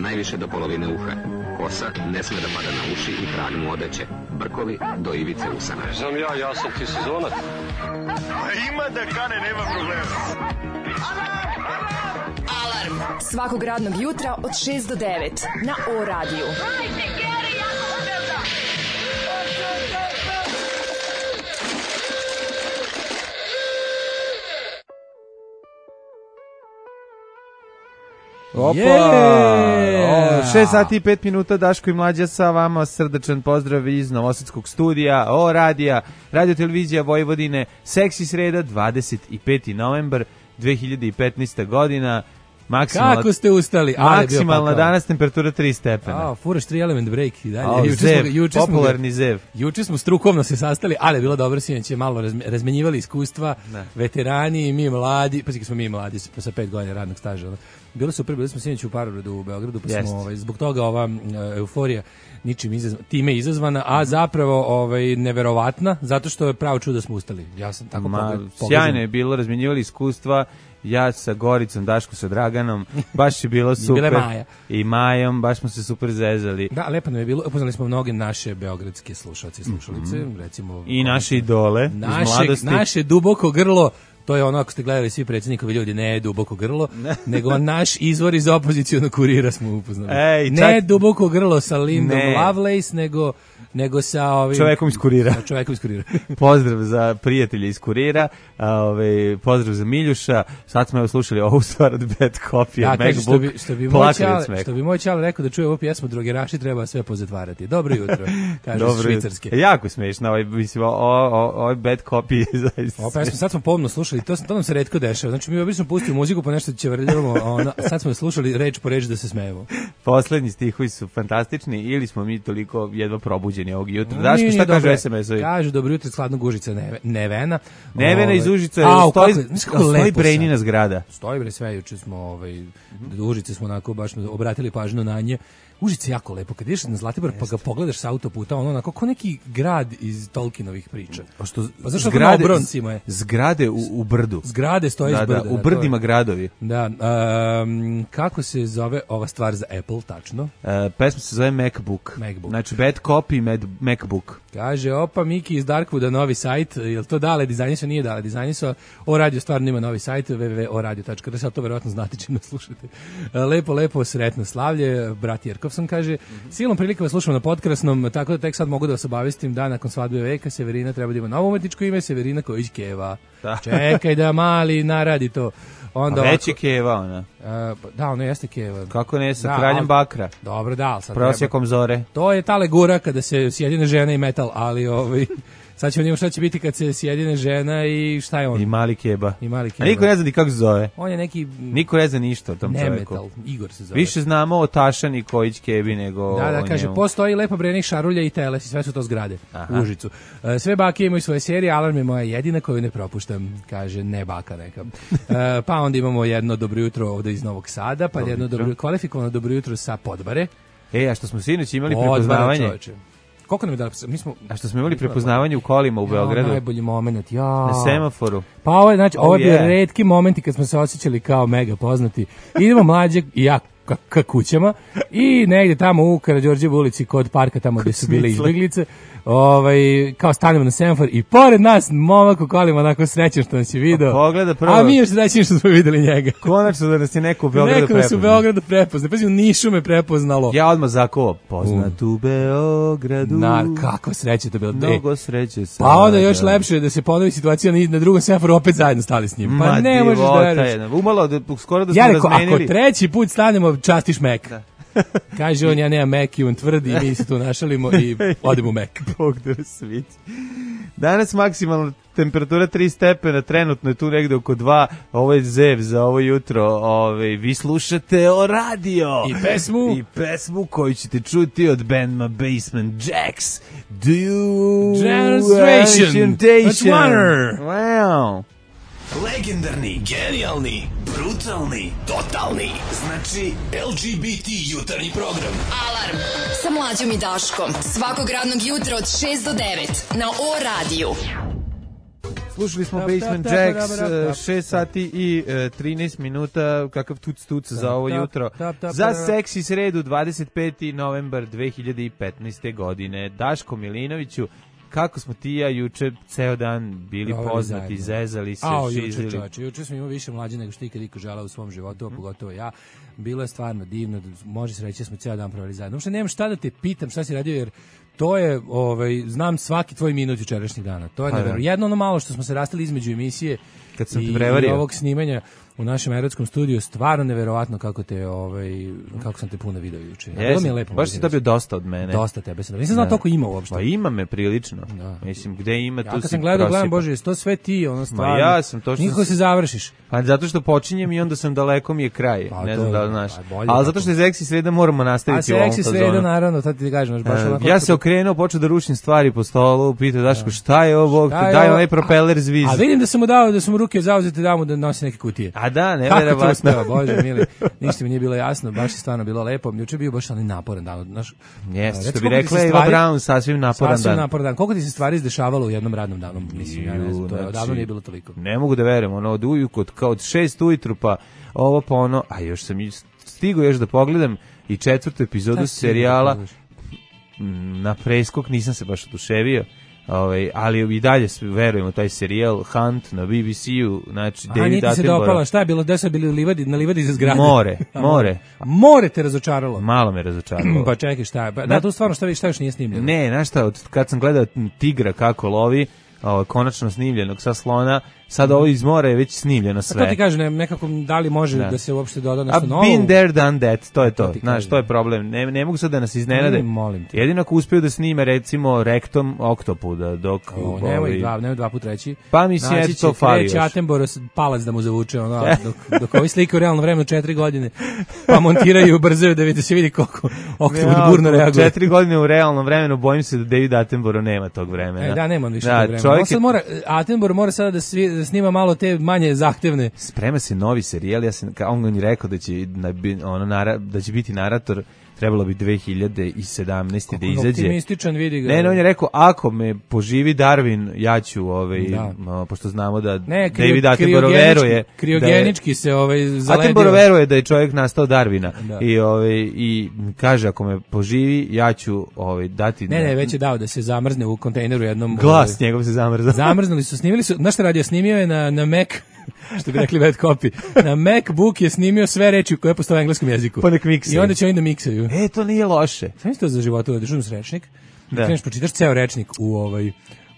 najviše do polovine uha. Kosa ne sme da pada na uši i trag mu odeće. Brkovi do ivice usana. Znam ja sam ti sezonac. Ima da kane, nema problema. Alarm svakog radnog jutra od 6 do 9 na O-radiju. Opa! 6 sati i 5 minuta, Daško i Mlađa sa vama, srdačan pozdrav iz Novosadskog studija, O-radija, Radio Televizija Vojvodine, Seksi sreda, 25. novembar 2015. godina. Kako ste ustali? Maksimalna danas temperatura 3 stepena. Furaš 3 element break i dalje. Popularni zev. Juče smo strukovno se sastali, ali je bilo dobro, sinoć je malo razmenjivali iskustva, veterani i mi mladi, pa smo mi mladi sa 5 godina radnog staža. Bilo super, bili smo sinoć u Parovradu u Beogradu, pa smo zbog toga ova euforija time izazvana, a zapravo neverovatna, zato što je pravo čudo da smo ustali. Ja sam tako pogođen. Sjajno je bilo, razmenjivali iskustva, ja sa Goricom, Daško sa Draganom, baš je bilo super. Maja. I Majom, baš smo se super zezali. Da, lepo nam je bilo, upoznali smo mnoge naše beogradske slušalce i slušalice, recimo... I naše idole iz mladosti. Naše duboko grlo, to je ono, ako ste gledali svi predsjednikovi ljudi, ne duboko grlo, nego naš izvor iz opozicionog kurira smo upoznali. Ne duboko grlo sa Lindom Lovelace, nego sa čovekom iz kurira. Pozdrav za prijatelje iz kurira, pozdrav za Miljuša. Sad smo slušali ovu stvar od Bad Copy, MacBook, što bi moj čale rekao da čuje ovu pjesmu Drogeraši treba sve pozatvarati. Dobro jutro, kaže švicarske. Jako smiješno, ovaj Bad Copy. Sad smo pomno slušali, to nam se retko dešava. Znači mi obično pustimo muziku pa nešto će vrljavamo, sad smo slušali reč po reč da se smejemo. Poslednji stihovi su fantastični ili smo mi toliko jedva probuđeni ovog jutra. Daško, šta kažu SMS-ovi? Kažu dobro jutro iz hladnog Užica, Nevena. Nevena iz Užica, stoji Brejnina zgrada. Stoji bre sve, juče smo Užice smo onako baš obratili pažnju na nje. Užice jako lepo, kad ideš na Zlatibor pa ga pogledaš sa autoputa, ono onako kao neki grad iz Tolkienovih priča. Pa zašto na obroncima je? Zgrade u brdu. Zgrade stoje iz brda. U brdima gradovi. Da, kako se zove ova stvar za Apple, tačno? Pesma se zove MacBook. Znači Bad Copy MacBook. Kaže, opa, Miki iz Darkwooda, novi sajt, jel to dale dizajniso? Nije dale dizajniso. O-radio stvarno ima novi sajt, www.oradio.rs, ali to verovatno znate čim slušate. Lepo, sretno slavlje, brat Jerkov sam kaže, silom prilike vas slušamo na podkrasnom, tako da tek sad mogu da vas obavestim da nakon svadbe Veka Severina treba da ima novo umetničko ime, Severina Kojić-Keva. Čekaj da mali naradi to. Onda već je Keva ona. Da, ono jeste Keva. Kako ne, sa kraljem Bakra. Dobro, da. Prosjekom zore. To je ta legura kada se sjedine žena i metal, ali sad ćemo vidjeti šta će biti kad se sjedine žena i šta je on? I mali Keba. A niko ne zna ni kako se zove. On je neki... Niko ne zna ništa o tom čoveku. Metal, Igor se zove. Više znamo o Tašani Kojić Kebi nego o njemu. Kaže, postoji lepo brenih šarulja i teles i sve su to zgrade u Užicu. Sve bake imaju svoje serije, Alarm je moja jedina koju ne propuštam, kaže, ne baka neka. Pa onda imamo jedno dobro jutro ovde iz Novog Sada, pa jedno kvalifikovano dobro jutro sa Podbare. A što smo sinoć imali prepoznavanje? Koliko nam je dala? A što smo imali prepoznavanje u kolima u Beogradu? Najbolji moment, na semaforu. Pa ovo je bio retki momenti kad smo se osjećali kao mega poznati. Idemo Mlađe i ja ka kućama i negdje tamo u Karađorđevu ulici kod parka tamo gdje su bile izbjeglice, kao stanemo na semafor i pored nas momak u kolima onako srećan što nas je video. Pogleda prvo. A mi još srećni što smo videli njega. Konačno da nas je neko u Beogradu prepoznao. Neko nas u Beogradu prepoznao. Pazi, u Nišu me prepoznalo. Ja odmah zakovao. Poznat u Beogradu. Kako sreće to bilo. Mnogo sreće sad. Pa onda još lepše da se ponovi situacija na drugom semaforu opet zajedno stali s njim. Pa ne možeš da veruješ. Umalo skoro da smo razmenili. Ako treći put stanemo, častiš Mek. Kaže on, ja nemam Mek i on tvrdi i mi se tu našalimo i odemo u Mek. Bog da sviti. Danas maksimalna temperatura 3 stepena, trenutno je tu negde oko 2, ovo je zev za ovo jutro, vi slušate O-radio. I pesmu koju ćete čuti od bandma Basement Jacks. Do you... Generation. That's Warner. Wow. Legendarni, genijalni, brutalni, totalni. Znači LGBT jutarnji program. Alarm sa Mlađom i Daškom. Svakog radnog jutra od 6 do 9 na O-radiju. Slušali smo Basement Jacks, 6 sati i 13 minuta, kakav tuc za ovo jutro. Za seksi sredu, 25. novembar 2015. godine. Daško Milinoviću, kako smo ti ja juče ceo dan bili poznati, zezali se, šizili. Juče smo imali više mlađe nego što ikad iko želeo u svom životu, a pogotovo ja. Bilo je stvarno divno, može se reći da smo ceo dan proveli zajedno. Uopšte nemam šta da te pitam šta si radio, jer to je, znam svaki tvoj minut jučerašnjeg dana. To je nevjerojatno. Jedno ono malo što smo se rastali između emisije kad sam i ovog snimanja u našem erotskom studiju, stvarno neverovatno kako te kako sam te puno video juče. Bilo mi je lepo. Baš si dobio dosta od mene. Dosta tebe sam. Nisam znao toliko ima uopšte. Pa ima me prilično. Da. Mislim gde ima tu. Ja kad sam gledam Bože, to sve ti, ono stvarno. Ma ja sam to što nikako se završiš. Pa zato što počinjem i onda sam daleko mi je kraj. Ne znam da li znaš. Ali zato što je seksi sreda moramo nastaviti u ovom fazonu. A seksi sreda naravno, sad ti kažem, baš onako. Ja se okrenuo, počeo da rušim stvari po stolu, pitao Daško šta je ovo, daj onaj propeler zviz. A vidim da sam mu dao, da su mu ruke zauzete da mu da nosi neke kutije. A da, neverovatno. Bože mili, ništa mi nije bilo jasno, baš je stvarno bilo lepo. Juče je bio baš onaj naporan dan. Jeste, što bi rekla Eva Braun, sasvim naporan dan. Koliko ti se stvari izdešavalo u jednom radnom danu? Mislim, ja ne znam, to je odavno nije bilo toliko. Ne mogu da verujem, ono od ujutru, kao od 6 ujutru pa ovo pa ono, a još sam stigao još da pogledam i 4. epizodu serijala na preskok, nisam se baš oduševio. Ali i dalje verujemo taj serijal Hunt na BBC-u, znači David Attenborough. A niti se dopala, šta je bilo, gde su bili na livadi za zgrade? More. More te razočaralo? Malo me razočaralo. Pa čekaj, šta je? Da, tu stvarno šta još nije snimljeno? Ne, znaš šta, kad sam gledao tigra kako lovi, konačno snimljenog sa slona, sad ovo iz mora je već snimljeno sve. A to ti kažem, nekako da li može da se uopšte doda nešto novo? Been there, done that, to je to. Znaš, to je problem. Ne mogu sad da nas iznenade. Molim te. Jedino ako uspiju da snime, recimo, rektom oktopuda, dok... Nemoj dva put reći. Pa mislim, eto to fali još. Kreće Attenborough palac da mu zavuče, dok ovi slike u realno vremenu 4 godine, pa montiraju i ubrzaju da se vidi koliko oktopud burno reaguje. 4 godine u realnom vremenu, bojim se da David Attenborough nema tog vremena. Da, nema on više tog vremena. Attenborough mora sada da snima malo te manje zahtevne. Sprema se novi serijal, on je rekao da će biti narator, trebalo bi 2017. da izađe. Optimističan, vidi ga. Ne, on je rekao, ako me poživi Darwin, ja ću, pošto znamo da David Attenborough veruje. Kriogenički se zaledio. Attenborough veruje da je čovjek nastao Darwina. I kaže, ako me poživi, ja ću dati... Ne, već je dao da se zamrzne u kontejneru jednom. Glas njegov se zamrzao. Zamrznuli su, snimili su, znaš šta radio, snimio je na Mac, što bi rekli bad copy. Na MacBook je snimio sve reči koje postoje u engleskom jeziku. Pa nek miksaju. I onda će oni da miksaju. To nije loše. Sam isto za životu da držim rečnik. Da kreneš pročitaš ceo rečnik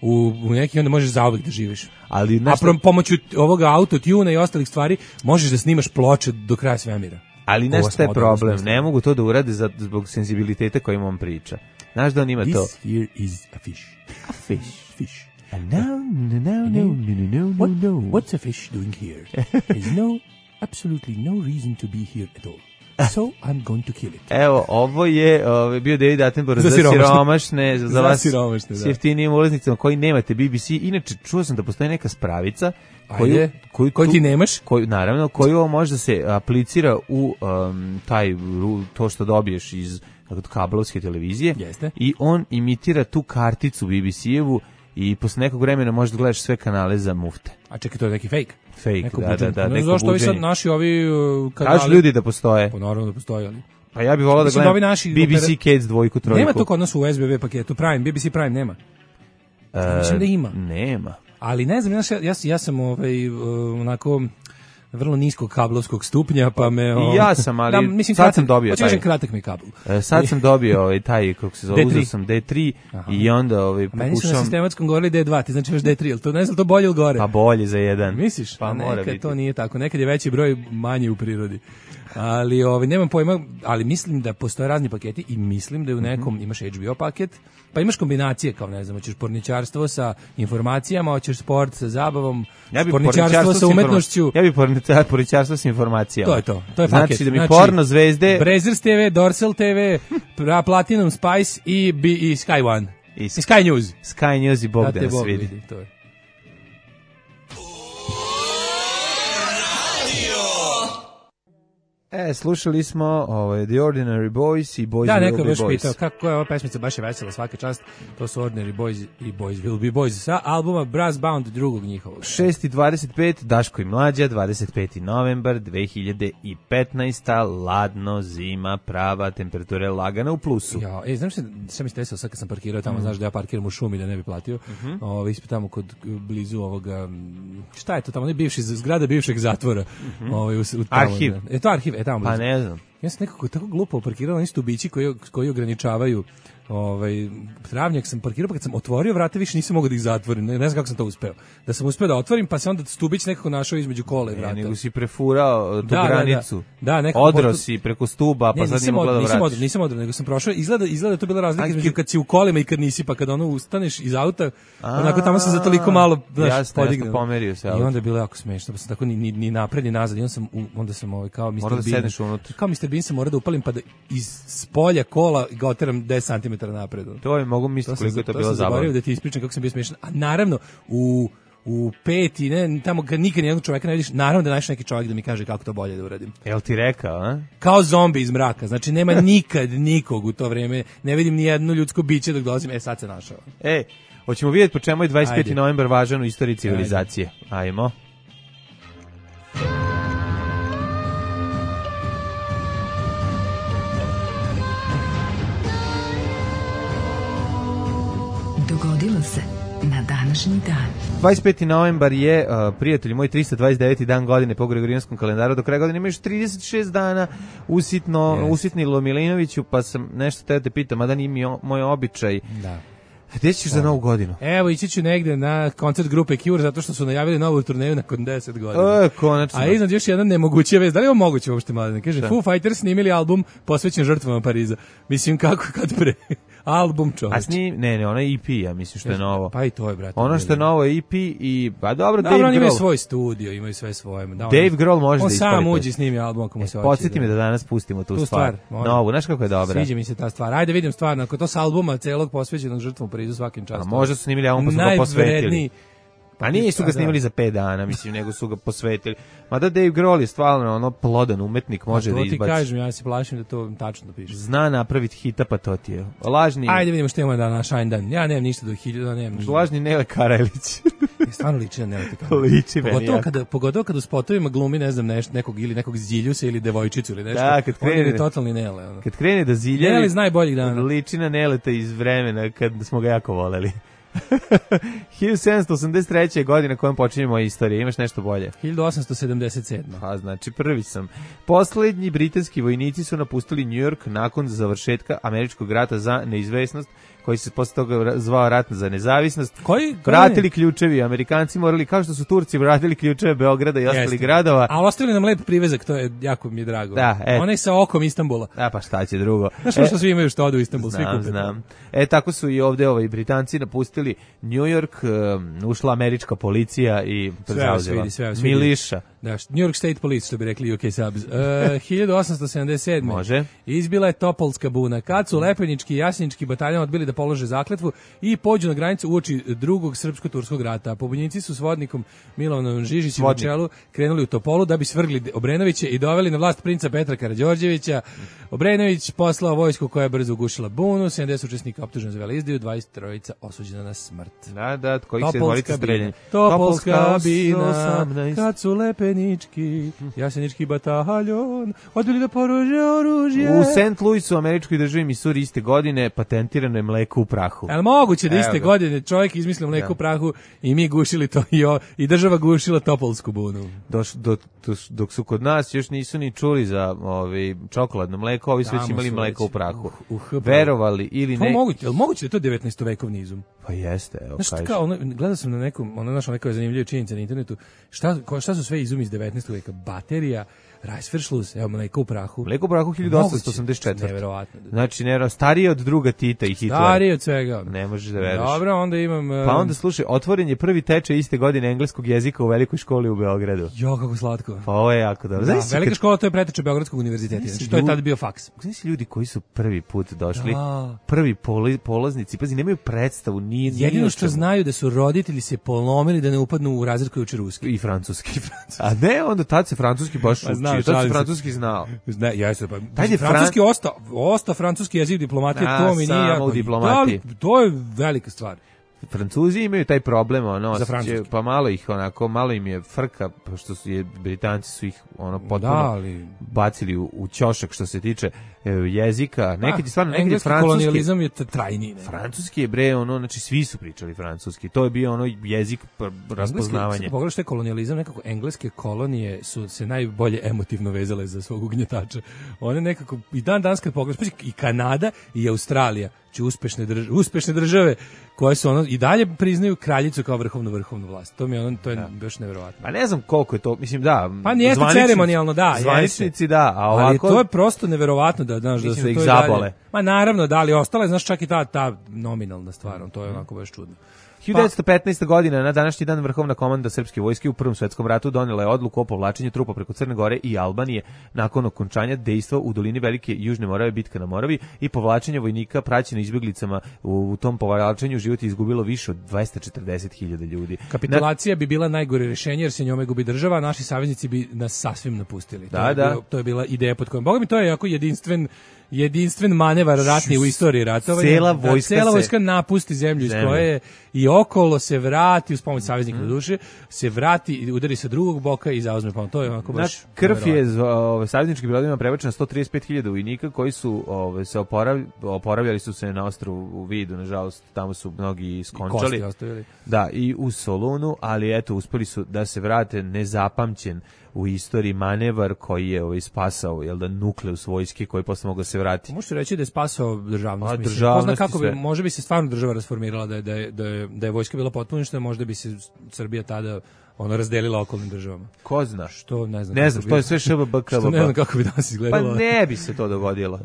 u neki, onda možeš zauvek da živiš. Ali pomoću ovoga autotuna i ostalih stvari možeš da snimaš ploče do kraja svemira. Ali nešto je problem. Ne mogu to da urade zbog senzibiliteta kojim on priča. Znaš da on ima to. This here is a fish. A fish. And no. What's a fish doing here? There's absolutely no reason to be here at all. So I'm going to kill it. Evo, ovo je bio David Attenborough za siromašne, za vas s jeftinijim ulaznicama koji nemate BBC. Inače, čuo sam da postoji neka spravica koju ti nemaš? Naravno, koju može da se aplicira u to što dobiješ iz kablovske televizije. Jeste. I on imitira tu karticu BBC-evu i posle nekog vremena možeš da gledaš sve kanale za mufte. A čekaj, to je neki fake? Fake, da. Ne znam zašto ovi sad naši kanali... Kažu ljudi da postoje. Pa naravno da postoje, ali... Pa ja bih volao da gledam BBC Kids 2, 3. Nema to kod nas u SBB paketu, BBC Prime nema. Mislim da ima. Nema. Ali ne znam, ja sam onako... vrlo niskog kablovskog stupnja, pa me... I ja sam, ali sad sam dobio taj. Kratak mi kabel. Sad sam dobio taj, kako se zove, uzeo sam D3 i onda pokušam... Meni su na sistematskom govorili D2, ti znači još D3, ali to ne znam, to bolje ili gore? Pa bolje za jedan. Misliš? Pa mora nekad biti. To nije tako, nekad je veći broj manji u prirodi. Ali nemam pojma, ali mislim da postoje razni paketi i mislim da je u nekom imaš HBO paket, pa imaš kombinacije, kao ne znam, hoćeš porničarstvo sa informacijama, hoćeš sport sa zabavom, porničarstvo sa umetnošću. Ja bih porničarstvo sa informacijama. To je to, to je paket. Znači da mi porno zvezde... Brazzers TV, Dorsal TV, Platinum Spice i Sky One. I Sky News. Sky News i Bog da nas vidi. To je. Slušali smo The Ordinary Boys i Boys da, Will neko Be je baš Boys. pitao kako je ova pesmica, baš je vesela, svaka čast. To su Ordinary Boys i Boys Will Be Boys sa albuma Brass Bound drugog njihovog. 6:25, Daško i Mlađa, 25. novembar 2015. Ladno, zima, prava, temperatura je lagana u plusu. Ja, znaš šta mi se desilo sad kad sam parkirao tamo, znaš da ja parkiram u šumi da ne bi platio. Ispred tamo kod blizu ovoga, šta je to tamo, ne bivši zgrada bivšeg zatvora. Arhiv. To arhiv, tamo blizu. Pa ne znam. Ja sam nekako tako glupo parkirao na stubići koji ograničavaju travnjak sam parkirao, pa kad sam otvorio vrata više nisam mogao da ih zatvorim, ne znam kako sam to uspeo. Da sam uspeo da otvorim, pa se onda stubić nekako našao između kola i vrata. Nego si prefurao tu granicu. Da, odro si preko stuba, pa sad nije mogla da vratiš. Nisam odro, nego sam prošao, izgleda to bila razlika između kad si u kolima i kad nisi, pa kad ustaneš iz auta, onako tamo sam za toliko malo podignuo. Pomerio se i onda je bilo jako smešno, pa sam tako ni napred ni nazad, i onda sam kao Mr. Bean. Kao Mr. Bean sam morao da upalim, pa da iz spolja kola ga oteram 10 cm napred. To je, mogu misliti koliko je to bilo zabavno. To sam zaboravio da ti ispričam kako sam bio smešan. A naravno, u peti, tamo kad nikad nijednog čoveka ne vidiš, naravno da nađeš neki čovjek da mi kaže kako to bolje da uradim. Jel ti rekao, a? Kao zombi iz mraka, znači nema nikad nikog u to vreme, ne vidim ni jedno ljudsko biće dok dolazim, sad se našao. Hoćemo vidjeti po čemu je 25. novembar važan u istoriji civilizacije. Ajmo. Dogodilo se na današnji dan. 25. novembar je, prijatelji moji, 329. dan godine po Gregorijanskom kalendaru. Do kraja godine ima još 36 dana. Usitnilo Milinoviću, pa sam nešto te pitam, mada nije mi moj običaj. Da. Gde ćeš za novu godinu? Evo, ići ću negde na koncert grupe Cure, zato što su najavili novu turneju nakon 10 godina. Konačno. A iznad još jedna nemoguća vez. Da li je ovo moguće uopšte, mladine? Kaže, Foo Fighters snimili album posvećen žrtvama Pariza. Mislim, kako kad pre... Album, čovječ. Ne, ono je EP, ja mislim što je novo. Pa i to je, brate. Ono što je novo je EP i, pa dobro, Dave Grohl. Oni imaju svoj studio, imaju sve svoje. Dave Grohl može da ispolite. On sam uđi snimi album ako mu se hoće. Podsjeti me da danas pustimo tu stvar. Novu, znaš kako je dobra. Sviđa mi se ta stvar. Ajde vidim stvarno, ako to s albuma celog posvećenog žrtvom Parizu svakim častom. A možda su snimili album pa su ga posvetili. Pa nisu ga snimili za 5 dana, mislim, nego su ga posvetili. Mada Dave Grohl je stvarno plodan umetnik, može da izbaci. To ti kažem, ja se plašim da to tačno piše. Zna napraviti hita, pa to ti je. Lažni... Ajde vidimo što imamo na Shine Dan. Ja nemam ništa do 1000, nemam. Lažni Nele Karajlić. Stvarno liči na Nele Karajlić. Liči meni, pogotovo kada u spotovima glumi, ne znam, nekog ziljusa ili devojčicu ili nešto. Da, kad krene, totalni Nele. Kad krene da ziljevi, Nele zna najboljih dana. Liči na Neleta iz vremena kad smo ga jako voleli. 1783. godina kojom počinjemo istoriju. Imaš nešto bolje? 1877. Pa znači prvi sam. Poslednji britanski vojnici su napustili New York nakon završetka američkog rata za neizvesnost, koji se posle toga zvao rat za nezavisnost. Vratili ključevi, Amerikanci morali, kao što su Turci vratili ključeve Beograda i ostalih gradova. A ostavili nam lep privezak, to je jako mi je drago. Da, onaj sa okom Istanbula. Da, pa šta će drugo. Znaš što svi imaju što odu u Istanbul, svi kupe. Znam. Tako su i ovde Britanci napustili New York, ušla američka policija i zauzela miliša. Da, New York State Police, što bi rekli UK Subs. 1877. Može. Izbila je Topolska buna. Kad su Lepenički i Jasenički bataljon odbili da polože zakletvu i pođu na granicu uoči drugog srpsko-turskog rata. Pobunjenici su s vodnikom Milovanom Žižićem na čelu krenuli u Topolu da bi svrgli Obrenovića i doveli na vlast princa Petra Karađorđevića. Obrenović poslao vojsku koja je brzo ugušila bunu, 70 učesnika optuženo za veleizdaju, 23 osuđena na smrt. Da, koji se volite streljanje. Topolska bina, kad su Lepenički, Jasenički bataljon odbili da polože oružje. U St. Louisu, američkoj državi Missouri, iste godine patentirano je mleko u prahu. Ali moguće da iste godine čovjek izmislio mleko u prahu i mi gušili to i država gušila Topolsku bunu. Dok su kod nas još nisu ni čuli za čokoladno mleko, ovi su već imali mleko u prahu. Verovali ili ne. Moguće da je to 19. vekovni izum. Pa jeste, evo kažeš. Gledao sam na nekom, našao neke zanimljive činjenice na internetu, šta su sve izumi iz 19. veka, baterija, Reißverschluss, evo mleko u prahu. Mleko u prahu 1884. Neverovatno. Znači, starije od druga Tita i Hitlera. Starije od svega. Ne možeš da veruješ. Dobro, onda imam... Pa onda, slušaj, otvoren je prvi tečaj iste godine engleskog jezika u velikoj školi u Beogradu. Jo, kako slatko. Pa ovo je jako dobro. Da, velika škola, to je preteča Beogradskog univerziteta. Znači, to je tada bio faks. Znači, ljudi koji su prvi put došli, prvi polaznici, pazi, nemaju predstavu, jedino što znaju da su roditelji se polomili da ne upadnu u razred koji uči ruski. I francuski. A ne, onda tad se francuski baš uči. učio, to si francuski znao. Ne, jeste, pa. Ajde, Francuski ostao francuski jezik diplomatije, to mi nije. Samo u diplomatiji. To je velika stvar. Francuzi imaju taj problem, ono, Za francuski. pa malo ih onako, malo im je frka, pošto Britanci su ih ono potpuno bacili u ćošak što se tiče jezika. Nekad je stvarno, nekad je francuski. Kolonijalizam je trajni. Francuski je bre, ono, znači svi su pričali francuski. To je bio ono jezik raspoznavanja. Pogledaj što je kolonijalizam, nekako engleske kolonije su se najbolje emotivno vezale za svog ugnjetača. One nekako, i danas kad pogledaš, i Kanada i Australija, uspešne države koje su ono i dalje priznaju kraljicu kao vrhovnu vlast. To mi je baš neverovatno. Pa ne znam koliko je to, mislim da. Pa nije ceremonijalno, da. Zvaničnici da, a ovako ali to je prosto neverovatno da znaš da su ih zabole. Ma naravno da, ali ostala je znaš čak i ta nominalna stvar, to je onako baš čudno. 1915. godina, na današnji dan, Vrhovna komanda srpske vojske u Prvom svetskom ratu donela je odluku o povlačenju trupa preko Crne Gore i Albanije nakon okončanja dejstva u dolini Velike Južne Morave, bitka na Moravi, i povlačenja vojnika praćeno izbjeglicama. U tom povlačenju život je izgubilo više od 240.000 ljudi. Kapitulacija bi bila najgore rješenje jer se njome gubi država, a naši saveznici bi nas sasvim napustili. To je bila ideja pod kojom. Boga mi, to je jako jedinstven manevar ratni u istoriji ratovanja. Cela vojska napusti zemlju iz koje je i okolo se vrati, uz pomoć saveznika do duše, se vrati i udari sa drugog boka i zauzme pomoć. To je onako baš... Krv je savezničkim brodovima prebačena 135.000 vojnika koji su se oporavljali su se na ostrvu Vidu, nažalost, tamo su mnogi skončali. Da, i u Solunu, ali eto, uspeli su da se vrate nezapamćen u istoriji manevar koji je spasao nukleus vojske koji posle mogao se vratiti. Možete reći da je spasao državnost. Pozna kako bi, može bi se stvarno država rasformirala da je vojska bila potpuno, možda bi se Srbija tada razdelila okolnim državama. Ko zna? Što ne znam. Ne znam, to je sve ŠBBK. Što ne znam kako bi danas izgledalo. Pa ne bi se to dogodilo.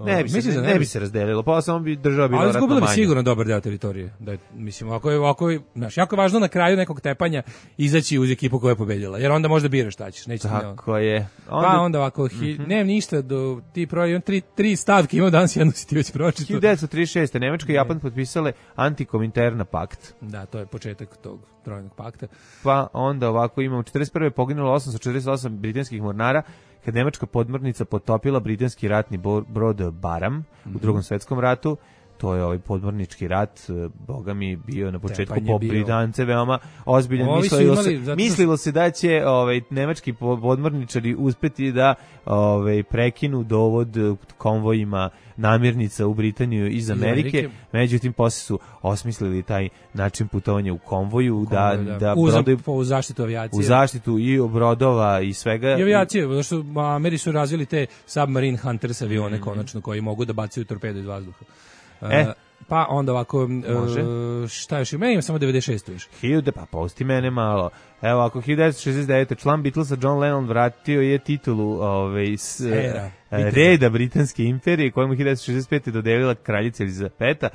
Ne bi se razdelilo. Pa samo bi država bila ratno manja. Ali izgubila bi sigurno dobar deo teritorije. Mislim, ovako je, jako je važno na kraju nekog tepanja izaći uz ekipu koja je pobedila. Jer onda možda biraš šta ćeš. Tako je. Pa onda ovako, nemam ništa do ti imam tri stavke, imam danas jednu si ti već pročitao. 1936. Nemačka i Japan potpisale Antikominterna pakt. Da, to je početak tog trojnog pakta. Pa onda ovako imamo 41. poginulo 848 britanskih mornara kad nemačka podmornica potopila britanski ratni brod Baram u Drugom svetskom ratu. To je podmornički rat, boga mi bio na početku po Britance veoma ozbiljan. Mislilo se da će nemački podmorničari uspeti da prekinu dovod konvojima namirnica u Britaniju iz Amerike. Međutim, poslije su osmislili taj način putovanja u konvoju, u zaštitu avijacije. U zaštitu i brodova i svega. I avijacije, zato što Ameri su razvili te Submarine Hunters avione konačno koji mogu da bacaju torpedo iz vazduha. Pa onda ovako, šta još ima? Imam samo 96. još. Pa pusti mene malo. Evo, ako 1969. član Beatlesa John Lennon vratio je titulu reda Britanske imperije, kojemu 1965. dodelila kraljica Elizabeta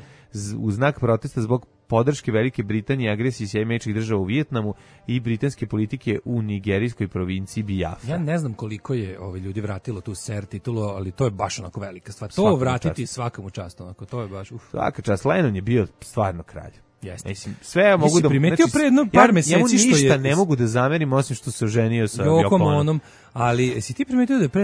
u znak protesta zbog podrške Velike Britanije i agresiji Sjedinjenih Američkih Država u Vijetnamu i britanske politike u nigerijskoj provinciji Biafra. Ja ne znam koliko je ljudi vratilo tu ser titulu, ali to je baš onako velika stvar. To vratiti svakamu čast, onako, to je baš... Svaka čast, Lennon je bio stvarno kralj. Jeste. Mislim, sve mogu da primetio pre jedno par meseci što je ništa ne mogu da zamerim osim što se oženio sa Yoko Onom. Ali si ti primetio da je pre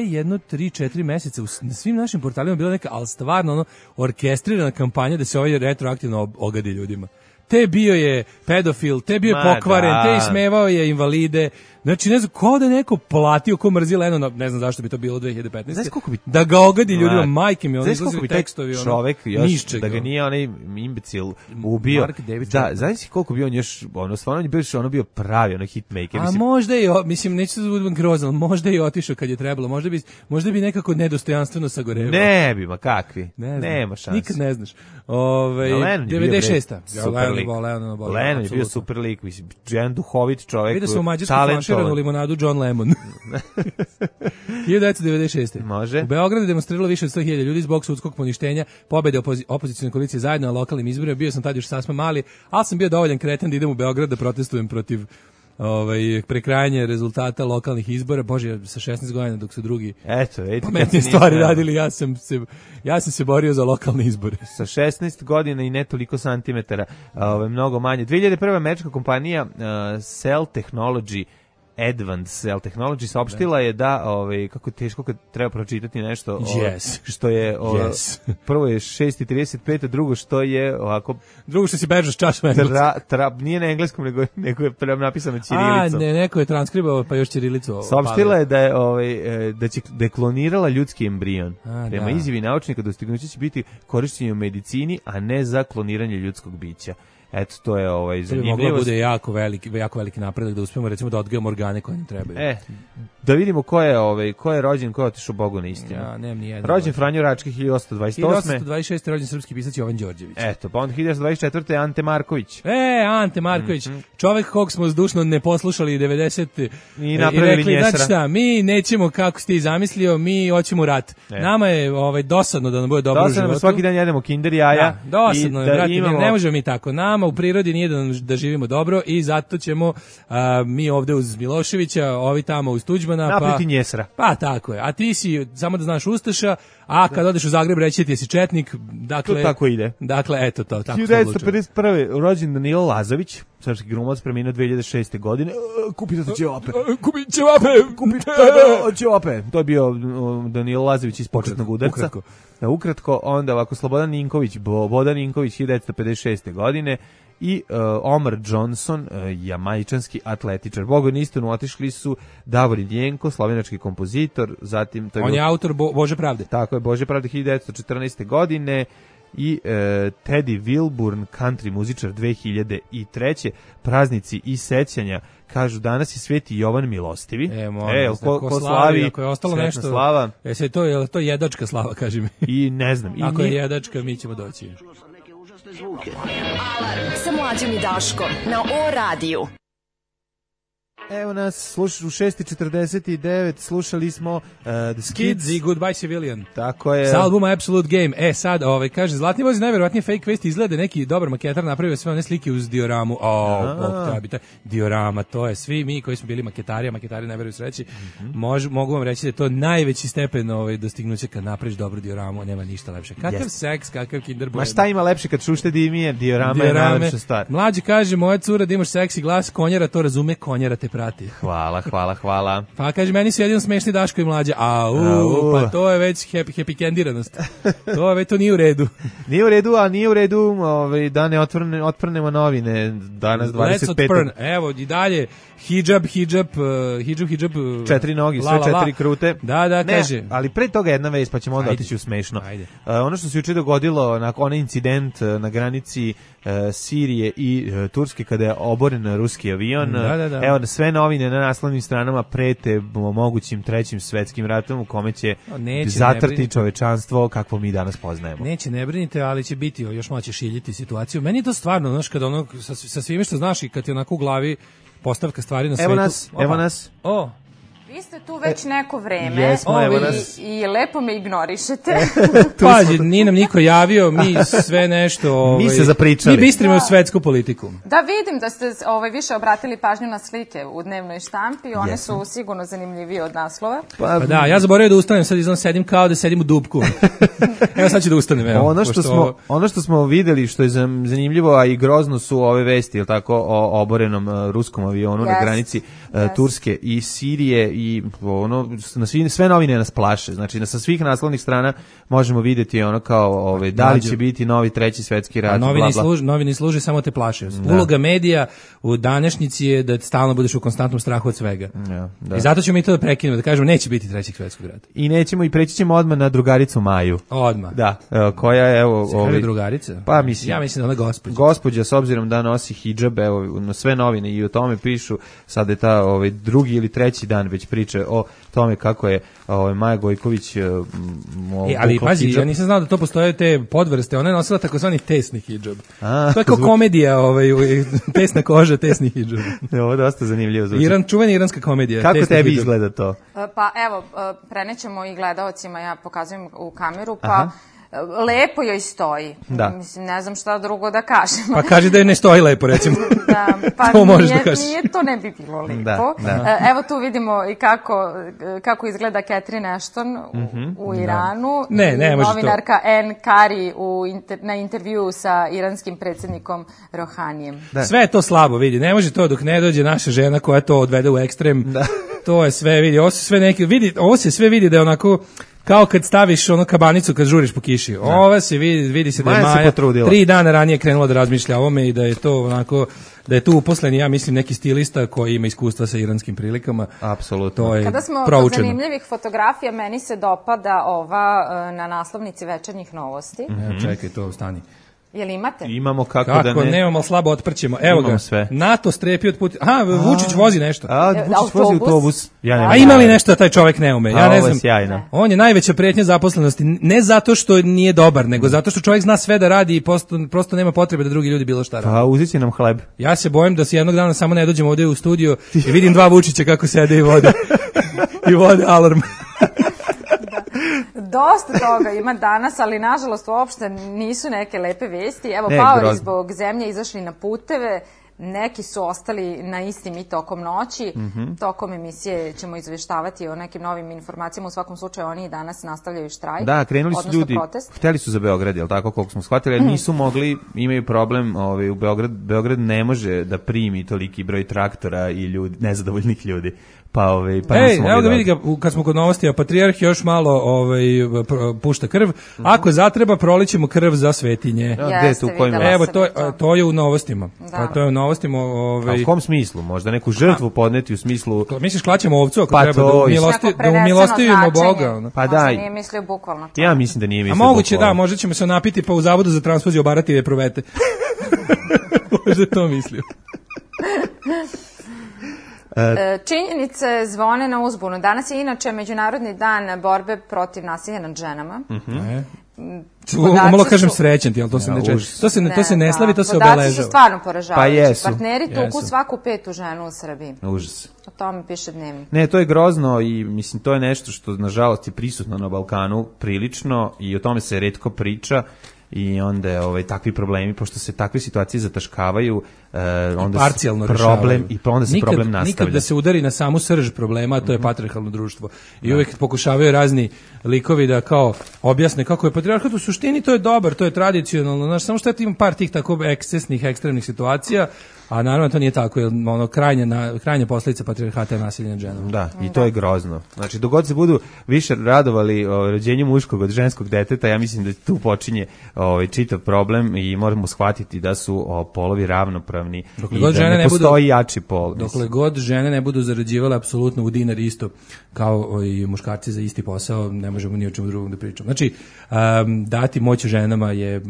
jedno 3-4 meseca na svim našim portalima bila neka, al stvarno orkestrirana kampanja da se ovaj retroaktivno ogadi ljudima. Te bio je pedofil, te bio je pokvaren, te ismevao je invalide. Znači, ne znam, kao da je neko platio ko mrzi Lennona, ne znam zašto bi to bilo 2015. Da ga ogadi ljudima, majke mi, ono izlazi tekstovi. Čovek još, da ga nije onaj imbecil ubio. Da, znaš koliko bi on još, stvarno je bio pravi, hitmaker. A možda je, mislim, neću se budem grozan, možda je otišao kad je trebalo, možda bi nekako nedostojanstveno sagorevao. Ne bi, ma kakvi, nema šanse. Nikad ne znaš. 96. Lennon je bio super lik, mislim, jedan duhovit čovek. Vidio sam u Mađarsku flaširanu limonadu John Lemon. 1996. Može. U Beogradu demonstriralo više od 100.000 ljudi zbog sudskog poništenja pobede opozicione koalicije zajedno na lokalnim izborima. Bio sam tad još sasma mali, ali sam bio dovoljan kreten da idem u Beograd da protestujem protiv prekrajanje rezultata lokalnih izbora. Bože, sa 16 godina dok su drugi pametnije stvari radili, ja sam se borio za lokalne izbore. Sa 16 godina i ne toliko santimetara, mnogo manje. 2001. američka kompanija Cell Technology Advanced Technology saopštila je da kako je teško kad treba pročitati nešto što je prvo je 6:35, drugo što je ovako drugo što si bežao s čašom engleska. Nije na engleskom nego je napisano ćirilicom. Neko je transkribao pa još ćirilicu. Saopštila je da je da je klonirala ljudski embrion. Prema izjavi naučnika dostignuće će biti korišćenje u medicini, a ne za kloniranje ljudskog bića. Eto, to je zanimljivo. Moglo bude jako veliki napredak da uspemo recimo da odgajamo organe koje nam trebaju. Da vidimo ko je rođen, ko je otišao Bogu na istinu. Ja, nemam ni jedan. Rođen Franjo Rački 1828. 1826. rođen srpski pisac Jovan Đorđević. Eto, pa onda 1924. Ante Marković. Ante Marković. Čovek kog smo zdušno ne poslušali 90. I napravili rekli, njesra. znači šta, mi nećemo kako si ti zamislio, mi hoćemo rat. Nama je dosadno da nam bude dobro u životu. Dosadno, svaki dan jedemo kinder jaja. Dosadno je, brate, ne možemo mi tako. Nama u prirodi nije da živimo dobro i zato ćemo mi ovde uz Miloševića, ovi tamo uz Tuđmana. Napriti njesra. Pa tako je. A ti si, samo da znaš, Ustaša, a kad odeš u Zagreb reći ti si četnik. Dakle, to tako ide. Dakle, eto to. Tako 1951. rođen Danilo Lazović, srpski glumac, preminuo 2006. godine. Kupite ćevape. Ćevape. To je bio Danilo Lazović iz Početnog udarca. Ukratko. Onda ovako Slobodan Ninković, Bodan Ninković 1956. godine. I Omar Johnson, jamajčanski atletičar. Bogom istinu otišli su Davorin Jenko, slovenački kompozitor, zatim... On je autor Bože pravde. Tako je, Bože pravde 1914. godine i Teddy Wilburn, country muzičar 2003. Praznici i sećanja. Kažu, danas je Sveti Jovan Milostivi. Ko slavi, ako je ostalo nešto, slava. Je to jedačka slava, kaži mi. I ne znam. Ako je jedačka, mi ćemo doći. Alarm sa Mlađom i Daškom na O-radiju. Evo nas, u 6:49 slušali smo The Skids i Goodbye Civilian. Tako je. S albuma Absolute Game. Sad, kaže, Zlatni voz najverovatnije fake vesti, izgleda neki dobar maketar napravio sve one slike uz dioramu. Diorama, to je svi mi koji smo bili maketari ne veruju sreći. Mogu vam reći da je to najveći stepen dostignuća kad napraviš dobru dioramu, nema ništa lepše. Kakav seks, kakav Kinder Bueno. Ma šta ima lepše kad šušte dimije, diorama je najlepša stvar. Mlađi kaže, moja cura da imaš seksi glas, konjara to razume, konjara te prati. Hvala. Pa kaže, meni su jedino smešni Daško i Mlađa. Pa to je već happy candiranost. To nije u redu. Nije u redu da ne otprnemo novine danas 25. Evo i dalje hidžab, 4 nogi, sve 4 krute. Da, kaže. Ali pre toga jedna vest, pa ćemo onda otići u smešno. Ono što se juče dogodilo, onaj incident na granici Sirije i Turske kada je oboren ruski avion. Evo, sve novine na naslovnim stranama prete mogućim trećim svetskim ratom u kome će zatrti čovečanstvo kakvo mi danas poznajemo. Neće, ne brinite, ali će biti još malo će šiljiti situaciju. Meni je to stvarno, znaš, kada ono sa svime što znaš i kad je onako u glavi postavka stvari na svetu. Evo nas. Vi ste tu već neko vreme. Jesmo, evo nas. I lepo me ignorišete. Pazi, nije nam niko javio, mi sve nešto... Mi se zapričali. Mi bistrimo svetsku politiku. Da, vidim da ste više obratili pažnju na slike u dnevnoj štampi. One su sigurno zanimljivije od naslova. Pa da, ja zaboravio da ustanem, sad izgleda sedim kao da sedim u dupku. Evo sad ću da ustanem. Ono što smo videli, što je zanimljivo, a i grozno su ove vesti, jel tako, o oborenom ruskom avionu na granici Turske i Sirije i sve novine nas plaše. Znači, sa svih naslovnih strana možemo vidjeti ono kao da li će biti novi treći svetski rat. Novini služe, samo te plaše. Uloga medija u današnjici je da stalno budeš u konstantnom strahu od svega. I zato ćemo mi to da prekinemo, da kažemo neće biti trećeg svetskog rata. I nećemo, i preći ćemo odmah na drugaricu Maju. Odmah. Da, koja je drugarica? Pa mislim. Ja mislim da ona gospođa. Gospođa, s obzirom da nosi hidžab, na sve novine i o tome pišu, sad je ta drugi ili treći dan već priče o tome kako je Maja Gojković ali pazi, ja nisam znao da to postoje te podvrste, ona je nosila takozvani tesni hidžab. To je kao komedija, tesna koža, tesni hidžab. Ovo je dosta zanimljivo zvuči. Čuvena iranska komedija. Kako tebi izgleda to? Pa evo, prenećemo i gledaocima, ja pokazujem u kameru, pa lepo joj stoji. Da. Mislim, ne znam šta drugo da kažem. Pa kaži da je ne stoji lepo, recimo. Da, pa to možeš da kažeš. Nije to ne bi bilo lepo. Da. Evo tu vidimo i kako izgleda Catherine Ashton u Iranu. Ne može to. Novinarka Ann Kari na intervju sa iranskim predsjednikom Rohanijem. Da. Sve je to slabo, vidi. Ne može to dok ne dođe naša žena koja to odvede u ekstrem. Da. To je sve, vidi. Ovo se sve vidi da je onako kao kad staviš ono kabanicu kad žuriš po kiši. Ova se vidi se da je Maja 3 dana ranije krenula da razmišlja o ovome i da je to onako, da je tu uposlen, ja mislim, neki stilista koji ima iskustva sa iranskim prilikama. Apsolutno. To je Kada smo kod zanimljivih fotografija, meni se dopada ova na naslovnici Večernjih novosti. Čekaj, to stani. Jel imate? Imamo kako da ne. Nemamo, slabo otprćemo. Evo ga, sve. NATO strepi od puta. Vučić vozi nešto. Vučić vozi autobus. A ima li nešto da taj čovek ne ume? Ja ne znam. Sjajno. On je najveća pretnja zaposlenosti. Ne zato što nije dobar, nego zato što čovjek zna sve da radi i prosto nema potrebe da drugi ljudi bilo šta radi. Pa uzet će nam hleb. Ja se bojim da se jednog dana samo ne dođemo ovdje u studio i vidim 2 Vučića kako sede i vode. I vode alarm. Dosta toga ima danas, ali nažalost uopšte nisu neke lepe vesti. Evo, paori zbog zemlje izašli na puteve, neki su ostali na istim i tokom noći. Tokom emisije ćemo izveštavati o nekim novim informacijama. U svakom slučaju oni i danas nastavljaju štrajk. Da, krenuli su ljudi, hteli su za Beograd, jel tako, koliko smo shvatili, ali nisu mogli, imaju problem, u Beograd ne može da primi toliki broj traktora i ljudi, nezadovoljnih ljudi. Evo ga vidi ga, kad smo kod novosti, Patrijarh još malo pušta krv. Ako zatreba, prolićemo krv za svetinje. Evo, to je u novostima. To je u novostima. U kom smislu? Možda neku žrtvu podneti u smislu... Misliš, klaćemo ovcu ako treba da umilostivimo Boga? Pa da. Možda nije mislio bukvalno. Ja mislim da nije mislio bukvalno. A moguće da, možda ćemo se napiti pa u zavodu za transfuziju obarati vetrovete. Možda je to mislio. Činjenice zvone na uzbunu. Danas je inače Međunarodni dan borbe protiv nasilja nad ženama. Umalo kažem srećan ti, ali to se ne slavi, to se obeležava. Podaci su stvarno poražavajući. Pa jesu. Partneri tuku svaku 5. ženu u Srbiji. Užas. O tome piše Dnevnik. Ne, to je grozno i mislim to je nešto što nažalost je prisutno na Balkanu prilično i o tome se retko priča. I onda takvi problemi, pošto se takve situacije zataškavaju, onda parcijalno problem i onda se problem nastavlja. Nikad da se udari na samu srž problema, a to je patrijarhalno društvo. I uvijek pokušavaju razni likovi da kao objasne kako je patrijarhat u suštini, to je dobar, to je tradicionalno, znaš, samo što ima par tih tako ekscesnih, ekstremnih situacija, a naravno to nije tako, jer krajnja posljedica patrijarhata je nasilje nad ženom. Da, i to je grozno. Znači, dok god se budu više radovali o rođenju muškog od ženskog deteta, ja mislim da tu počinje čitav problem i moramo shvatiti da su polovi ravnopravni i da ne postoji jači pol. Dokle god žene ne budu zarađivale apsolutno u dinar isto kao i muškarci za isti posao, ne možemo ni o čemu drugom da pričamo. Znači, dati moć ženama je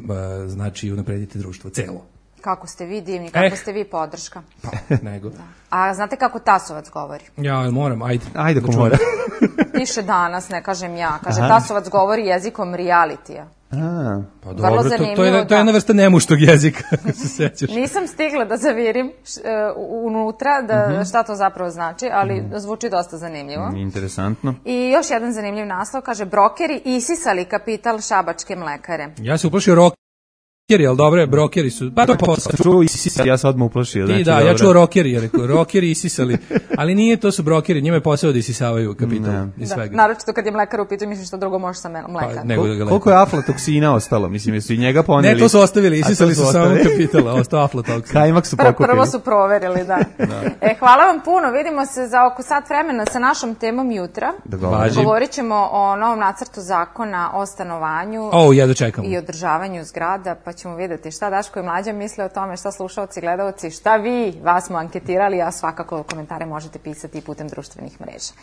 znači unaprediti društvo celo. Kako ste vi divni, kako ste vi podrška. Pa, nego. Da. A znate kako Tasovac govori? Ja, moram, ajde. Ajde ako mora. Piše danas, ne kažem ja. Kaže, Tasovac govori jezikom realitija. Pa dobro, to je jedna vrsta nemuštog jezika. Nisam stigla da zavirim unutra šta to zapravo znači, ali zvuči dosta zanimljivo. Interesantno. I još jedan zanimljiv naslov, kaže, brokeri isisali kapital šabačke mlekare. Ja se uplašio rokeri, ali dobro, brokeri su, pa to je posao. Čuo isisali, ja se odmah uplašio. Znači, da, ja čuo rokeri, ja rekao, rokeri isisali, ali nije, to su brokeri, njima je posao da isisavaju kapital i svega. Naročito kad je mlekar u pitanju, mislim što drugo može sa mleka. Koliko je aflatoksina ostalo, mislim, jesu i njega poneli? Ne, to su ostavili, isisali su samo kapitala, ostao aflatoksin. Kajmak su pokupili. Prvo su proverili, da. Hvala vam puno, vidimo se za oko sat vremena sa našom temom jutra. Govorit ćemo o novom nacrtu zakona o stanovanju i održavanju zgrada, pa ćemo vidjeti šta Daško i Mlađa misle o tome, šta slušaoci, gledalci, šta vi, vas smo anketirali, a svakako komentare možete pisati i putem društvenih mreža.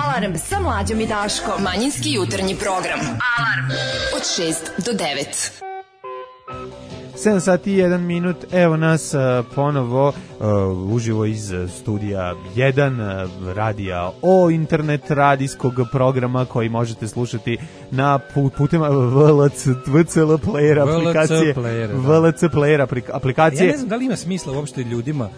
Alarm sa Mlađom i Daškom. Manjinski jutarnji program. Alarm od 6 do 9. 7 sati i 1 minut, evo nas ponovo uživo iz studija 1 radija o internet radijskog programa koji možete slušati na putem VLC Player aplikacije. VLC Player aplikacije. Ja ne znam da li ima smisla uopšte ljudima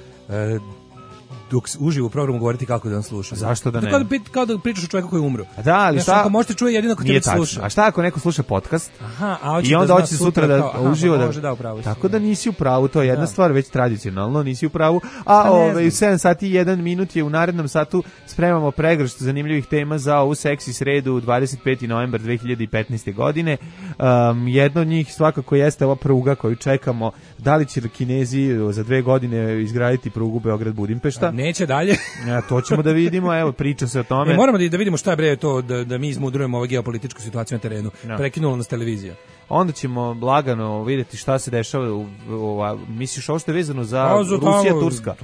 dok uživo u programu govoriti kako da on sluša. Zašto da ne? Kao da pričaš o čovjeku koji je umro. Da, ali šta? Ako možete čuje jedino ako te sluša. A šta ako neko sluša podcast? Aha, i onda hoće sutra da uživo tako da nisi u pravu, to je jedna stvar već tradicionalno, nisi u pravu. A u 7 sati i 1 minut je u narednom satu spremamo pregršt zanimljivih tema za ovu seksi sredu 25. novembar 2015. godine. Jedno od njih svakako jeste ova pruga koju čekamo. Da li će Kinezi za 2 godine izgraditi prugu Beograd-Budimpešta? Neće dalje. To ćemo da vidimo, evo, priča se o tome. Moramo da vidimo šta je bre to da mi izmudrujemo ovu geopolitičku situaciju na terenu. Prekinula nas televizija. Onda ćemo lagano vidjeti šta se dešava misliš ovo što je vezano za Rusija, Turska.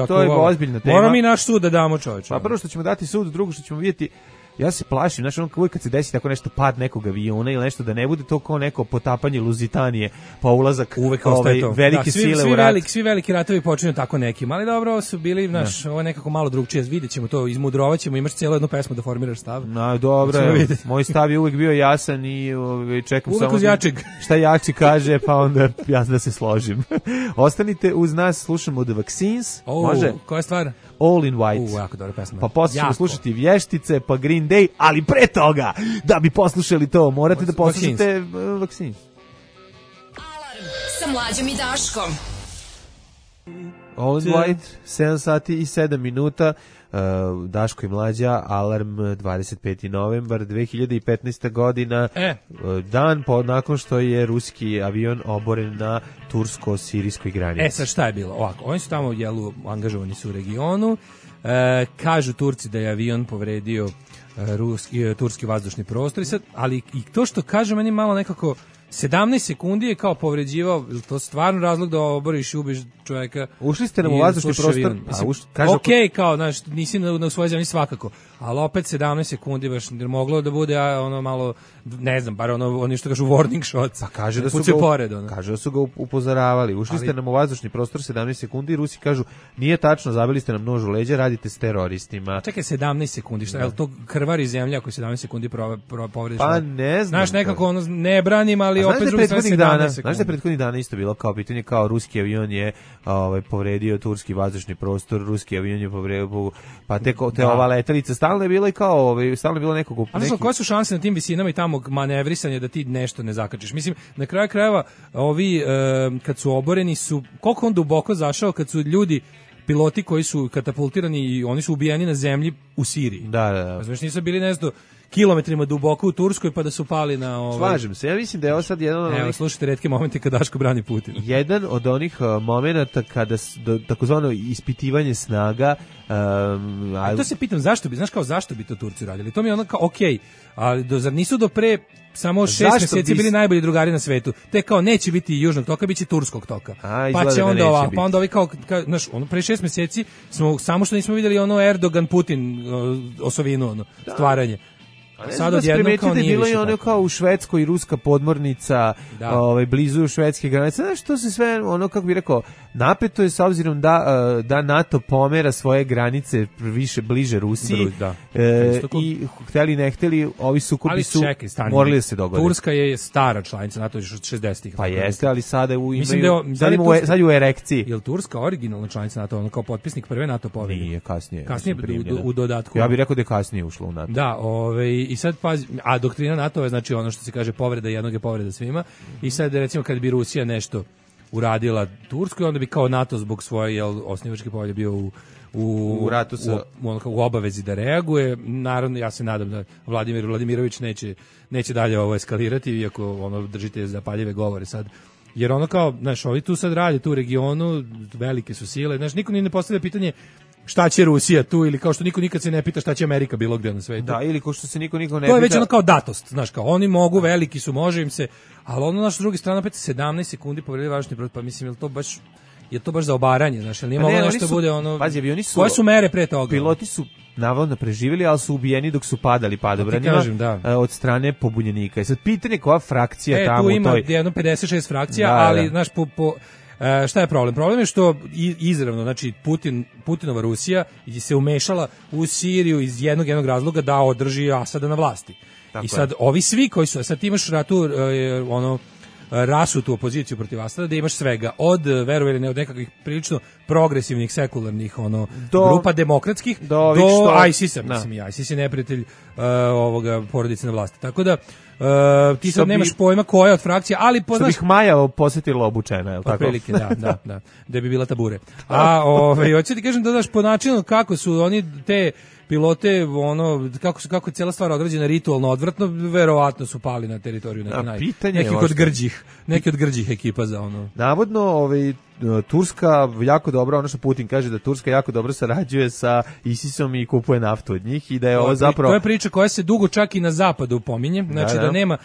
To je ozbiljna tema. Moramo mi naš sud da damo, čoveče. Pa prvo što ćemo dati sud, drugo što ćemo vidjeti. Ja se plašim, znači uvijek kad se desi tako nešto, pad nekog aviona ili nešto, da ne bude to kao neko potapanje Luzitanije, pa ulazak velike sile u rat. Svi veliki ratovi počinju tako nekim, ali dobro, ovo su bili, ovo je nekako malo drugčije, vidjet ćemo to, izmudrovaćemo, imaš cijelu jednu pesmu da formiraš stav. Dobro, moj stav je uvijek bio jasan i čekam uvijek samo šta jači kaže, pa onda ja da se složim. Ostanite uz nas, slušamo The Vaccines. Može? Koja je stvar? All in White. Jako dobra pesma. Pa posle ćemo slušati Vještice, pa Green Day, ali pre toga, da bi poslušali to, morate da poslušate Vaccines. Alarm sa Mlađom i Daškom. All in White, 7 sati i 7 minuta. Daško i Mlađa, Alarm, 25. novembar 2015. godina, dan nakon što je ruski avion oboren na tursko-sirijskoj granici. Sad šta je bilo? Ovako, oni su tamo angažovani su u regionu, kažu Turci da je avion povredio turski vazdušni prostor, ali i to što kaže meni malo nekako 17 sekundi je kao povređivao, to stvarno razlog da oboriš i ubiš čovjeka. Ušli ste nam u vazdušni prostor. Kao, znaš, nisi na svojoj zemlji svakako, ali opet 17 sekundi baš moglo da bude ono malo, ne znam, bar oni što kažu warning shots. Pa kaže da su ga upozoravali. Ušli ste nam u vazdušni prostor 17 sekundi i Rusi kažu, nije tačno, zabili ste nam nož u leđa, radite s teroristima. Čekaj, 17 sekundi, šta, je li to krvari zemlja ako 17 sekundi povrediš? Pa ne znam. Znaš, nekako ne branim, ali opet drugi 17 sekundi. Znaš da prethodnih dana isto bilo kao pitanje, kao ruski avion je povredio turski vazdušni prostor, ruski avion je povredio, pa te ova letelica stalno je bila i kao stalno je bilo nekog. A znači, koje su šanse na tim visinama i tamo manevrisanje da ti nešto ne zakačiš? Mislim, na kraju krajeva ovi kad su oboreni su, koliko on duboko zašao kad su ljudi piloti koji su katapultirani i oni su ubijeni na zemlji u Siriji. Da. Znači nisu bili nešto kilometrima duboko u Turskoj pa da su pali na Slažem se, ja mislim da je ovo sad jedan od onih... slušajte retke momente kada Daško brani Putin. Jedan od onih momenata kada takozvano ispitivanje snaga... A to se pitam, zašto bi to Turci radili? To mi je ono kao, okej, ali zar nisu do pre samo 6 mjeseci bili najbolji drugari na svetu? Te kao, neće biti Južnog toka, bit će Turskog toka. Pa će onda ovako, pa onda ovi kao, znaš, pre 6 mjeseci smo, samo što nismo vidjeli ono Erdogan-Putin osovinu, stvaranje. Sad odjednom kao nije bilo i ono kao u Švedskoj i ruska podmornica blizu švedske granice. Znaš, to se sve, ono kako bih rekao, napeto je s obzirom da NATO pomera svoje granice bliže Rusiji. I hteli ne hteli, ovi sukobi su morali da se dogode. Turska je stara članica NATO još od 60-ih. Pa jeste, ali sada sad je u erekciji. Je li Turska originalna članica NATO, ono kao potpisnik prve NATO povelje? Nije, kasnije. Kasnije u dodatku. Ja bih rekao da je kasnije ušlo u NATO. Da, i sad pazi, a doktrina NATO je znači ono što se kaže povreda jednog je povreda svima. I sad recimo kad bi Rusija nešto uradila Turskoj, onda bi kao NATO zbog svoje osnivačke povelje bio u ratu u obavezi da reaguje. Naravno, ja se nadam da Vladimir Vladimirović neće dalje ovo eskalirati, iako držite zapaljive govore sad. Jer ono kao, znaš, ovi tu sad radi tu u regionu, velike su sile, znaš, niko ni ne postavlja pitanje šta će Rusija tu, ili kao što niko nikad se ne pita šta će Amerika bilo gdje na svetu. Da, ili kao što se niko ne pita. To je već ono kao datost, znaš, kao oni mogu, veliki su, može im se, ali ono naš drugi strana opet 17 sekundi povredili važni broj, pa mislim, je to baš za obaranje, znaš, ili nije moglo nešto bude ono... Pazi, avioni su... Koje su mere pre toga? Piloti su navodno preživjeli, ali su ubijeni dok su padali padobranima od strane pobunjenika. I sad pitanje koja frakcija tamo... Tu ima jedno 56 frakcija, ali, znaš, šta je problem? Problem je što izravno, znači Putinova Rusija se umešala u Siriju iz jednog razloga da održi Asada na vlasti. Tako I sad ovi svi koji su, sad ti imaš ratu rasutu opoziciju protiv Asada, da imaš svega, od verovali ne od nekakvih prilično progresivnih, sekularnih grupa demokratskih do ISIS-a, mislim, ISIS je neprijatelj ovoga porodice na vlasti. Tako da ti sad nemaš pojma koja od frakcija, ali poznaš... Što bih Maja posetila obučena, je li tako? Otprilike, da, da bi bila tabure. A hoću ti kažem da daš po načinu kako su oni te pilote, kako je cijela stvar odrađena ritualno odvratno, verovatno su pali na teritoriju neki od grđih ekipa za ono. Navodno, Turska jako dobro, ono što Putin kaže da Turska jako dobro sarađuje sa ISIS-om i kupuje naftu od njih i da je ovo zapravo... To je priča koja se dugo čak i na zapadu pominje, znači da nema,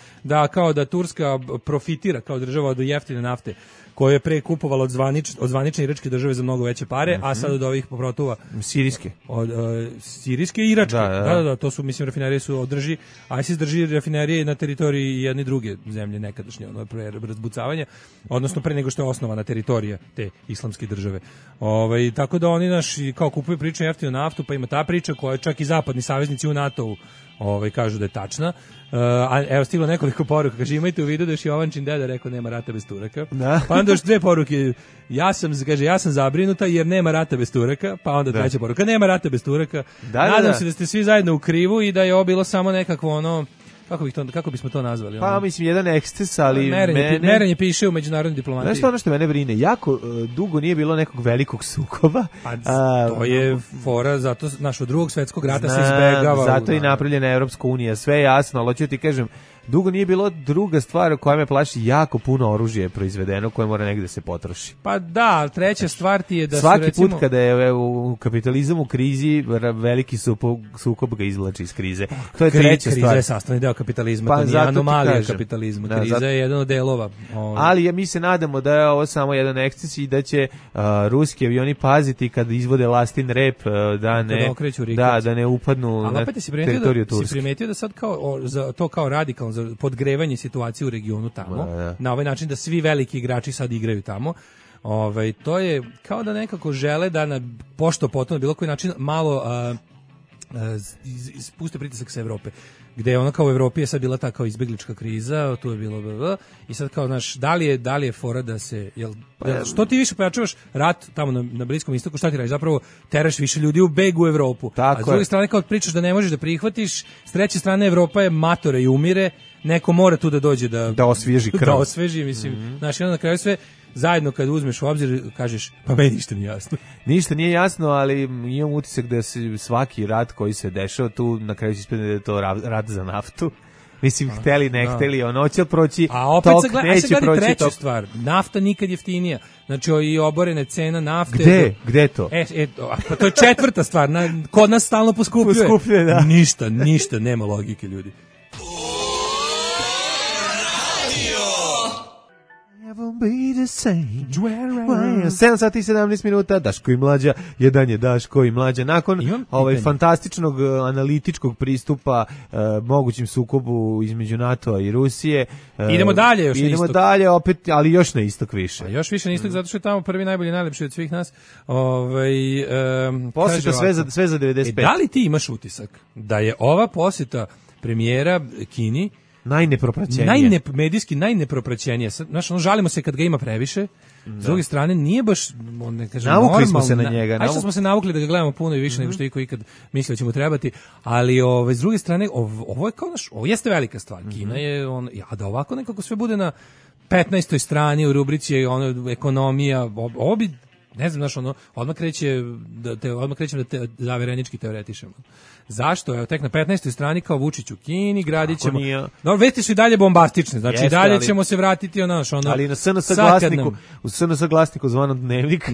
kao da Turska profitira kao država od jeftine nafte koje je pre kupovala od zvanične iračke države za mnogo veće pare, a sad od ovih poprotova sirijske. Od sirijske i iračke. Da, to su, mislim, rafinerije su održi, ISIS drži rafinerije na teritoriji jedne druge zemlje nekadašnje, pre razbucavanja, odnosno pre nego što je osnovana teritorija te islamske države. Tako da oni kao kupuju priču jeftinu naftu, pa ima ta priča koja čak i zapadni saveznici u NATO-u kažu da je tačna. A evo stiglo nekoliko poruka, kaže imajte u vidu da je Jovančin deda rekao nema rata bez Turaka. Pa onda još 2 poruke, ja sam zabrinuta jer nema rata bez Turaka, pa onda 3. poruka, nema rata bez Turaka. Nadam se da ste svi zajedno u krivu i da je ovo bilo samo nekakvo kako bismo to nazvali? Pa mislim jedan eksces, ali merenje piše u međunarodnoj diplomaciji. Znaš ono što mene brine, jako dugo nije bilo nekog velikog sukoba. To je fora, zato od Drugog svjetskog rata se izbegava. Zato i napravljena Evropska unija, sve je jasno, ali hoću ti kažem, dugo nije bilo druga stvar koja me plaši, jako puno oružja je proizvedeno koje mora negde se potroši. Pa da, treća stvar ti je da svaki recimo... put kada je u kapitalizam u krizi, veliki sukob ga izvlači iz krize. To je treća stvar. Kriza je sastavni deo kapitalizma, to nije anomalija kapitalizma. Kriza je jedan od delova. Ali mi se nadamo da je ovo samo jedan eksces i da će ruski avioni paziti kad izvode lastin rep da ne upadnu na teritoriju Turske. Si primetio da sad kao radikalno podgrevanje situacije u regionu tamo, na ovaj način da svi veliki igrači sad igraju tamo. To je kao da nekako žele da na pošto potom na bilo koji način malo spuste pritisak sa Evrope, gde je kao u Evropi je sad bila ta kao izbeglička kriza, tu je bilo i sad kao da li je fora da se što ti više pojačavaš rat tamo na Bliskom istoku, šta ti radiš? Zapravo teraš više ljudi u beg u Evropu. A s druge strane kao pričaš da ne možeš da prihvatiš, s treće strane Evropa je matore i umire, neko mora tu da dođe da osvježi krv. Da osvježi, mislim. Znači, na kraju sve zajedno kad uzmeš u obzir, kažeš, pa meni ništa nije jasno. Ništa nije jasno, ali imam utisak da se svaki rat koji se dešava tu, na kraju se ispadne da je to rat za naftu. Mislim, hteli, ne hteli, će proći a opet tok, neće proći treća stvar, nafta nikad jeftinija. Znači, i oborene cena nafte... Gde to? Pa to je 4. stvar, kod nas stalno poskupljuje. Da. Ništa, nema logike, ljudi. Be the same. 7 sati i 17 minuta, Daško i Mlađa, jedan je Daško i Mlađa. Nakon fantastičnog analitičkog pristupa mogućim sukobu između NATO-a i Rusije. Idemo dalje još na istok. Idemo dalje opet, ali još na istok više. A još više na istok, zato što je tamo prvi najbolji, najlepši od svih nas. Posjeta sve za 95. Da li ti imaš utisak da je ova posjeta premijera Kini medijski najnepropraćenije. Znaš, žalimo se kad ga ima previše. S druge strane, nije baš, ne kažem, navukli smo se na njega. Što smo se navukli da ga gledamo puno i više nego što iko ikad mislio da će mu trebati. Ali s druge strane, ovo je kao ovo jeste velika stvar. Kina je, da ovako nekako sve bude na 15. strani u rubrici ekonomija, ovo bi, ne znam, znaš, odmah krećem da te zaverenički teoretišemo. Zašto? Evo, tek na 15. strani kao Vučić u Kini, gradit ćemo... Dobro, vesti su i dalje bombastične, znači i dalje ćemo se vratiti ali na SNS glasniku zvanom Dnevnik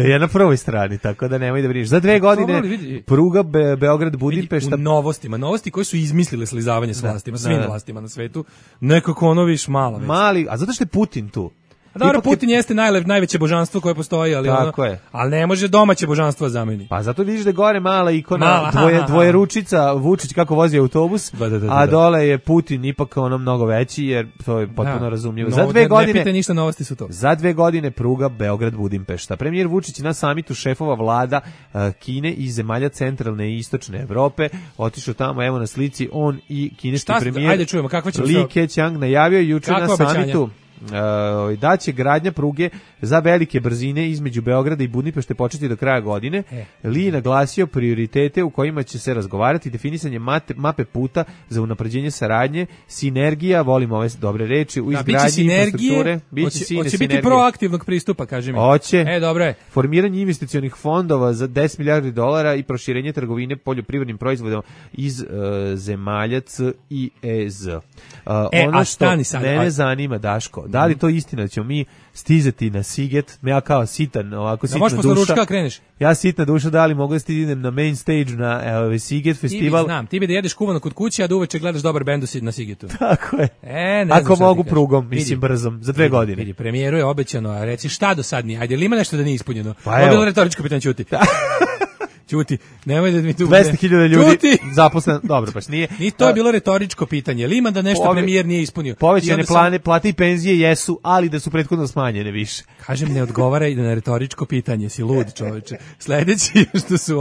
je na prvoj strani, tako da nemoj da brineš. Za 2 godine pruga Beograd-Budimpešta... U novosti koji su izmislili slizavanje s vlastima, svim vlastima na svetu, nekako viš mala vest. A zato što je Putin tu. Dobro, Putin jeste najveće božanstvo koje postoji, ali ali ne može domaće božanstvo zameni. Pa zato vidiš da gore mala ikona, dvoje ručica, Vučić kako vozi autobus, a dole je Putin ipak mnogo veći, jer to je potpuno razumljivo. Za 2 godine, ne pite ništa, novosti su to. Za 2 godine pruga Beograd-Budimpešta. Premijer Vučić na samitu šefova vlada Kine i zemalja centralne i istočne Evrope otišao tamo, evo na slici, on i kineski premijer Ajde čujemo, kakva će Li Keqiang najavio juče na samitu. da će gradnja pruge za velike brzine između Beograda i Budimpešte početi do kraja godine. Li je naglasio prioritete u kojima će se razgovarati, definisanje mape puta za unapređenje saradnje, sinergija, volim ove dobre reči, u izgradnji infrastrukture. Hoće biti proaktivnog pristupa, kaže mi. Hoće. Dobro je. Formiranje investicionih fondova za $10 milijardi i proširenje trgovine poljoprivrednim proizvodima iz zemalja C i EZ. Ono što mene zanima, Daško, da li to istina da ćemo mi stizati na Siget, ja kao sitan, ovako sitna duša. Da možeš posle ručka kreneš. Ja sitna duša, da li mogu da stignem na main stage na Siget festival? Ti znam, ti bi da jedeš kuvano kod kuće, a da uveče gledaš dobar bend na Sigetu. Tako je. Ne ako mogu prugom, mislim brzom, za 2 godine. Vidi, premijeru je obećano, a reci šta do sad nije, ajde, ili ima nešto da nije ispunjeno? Pa ovo je bilo retoričko pitanje, ćuti. Ćuti, nemoj da mi tu 200.000 ljudi zaposleno, dobro, baš nije. Ni to je bilo retoričko pitanje, ili ima da nešto premijer nije ispunio? Povećane plate i penzije jesu, ali da su prethodno smanjene više. Kažem, ne odgovara i na retoričko pitanje, si lud čoveče. Sledeći što su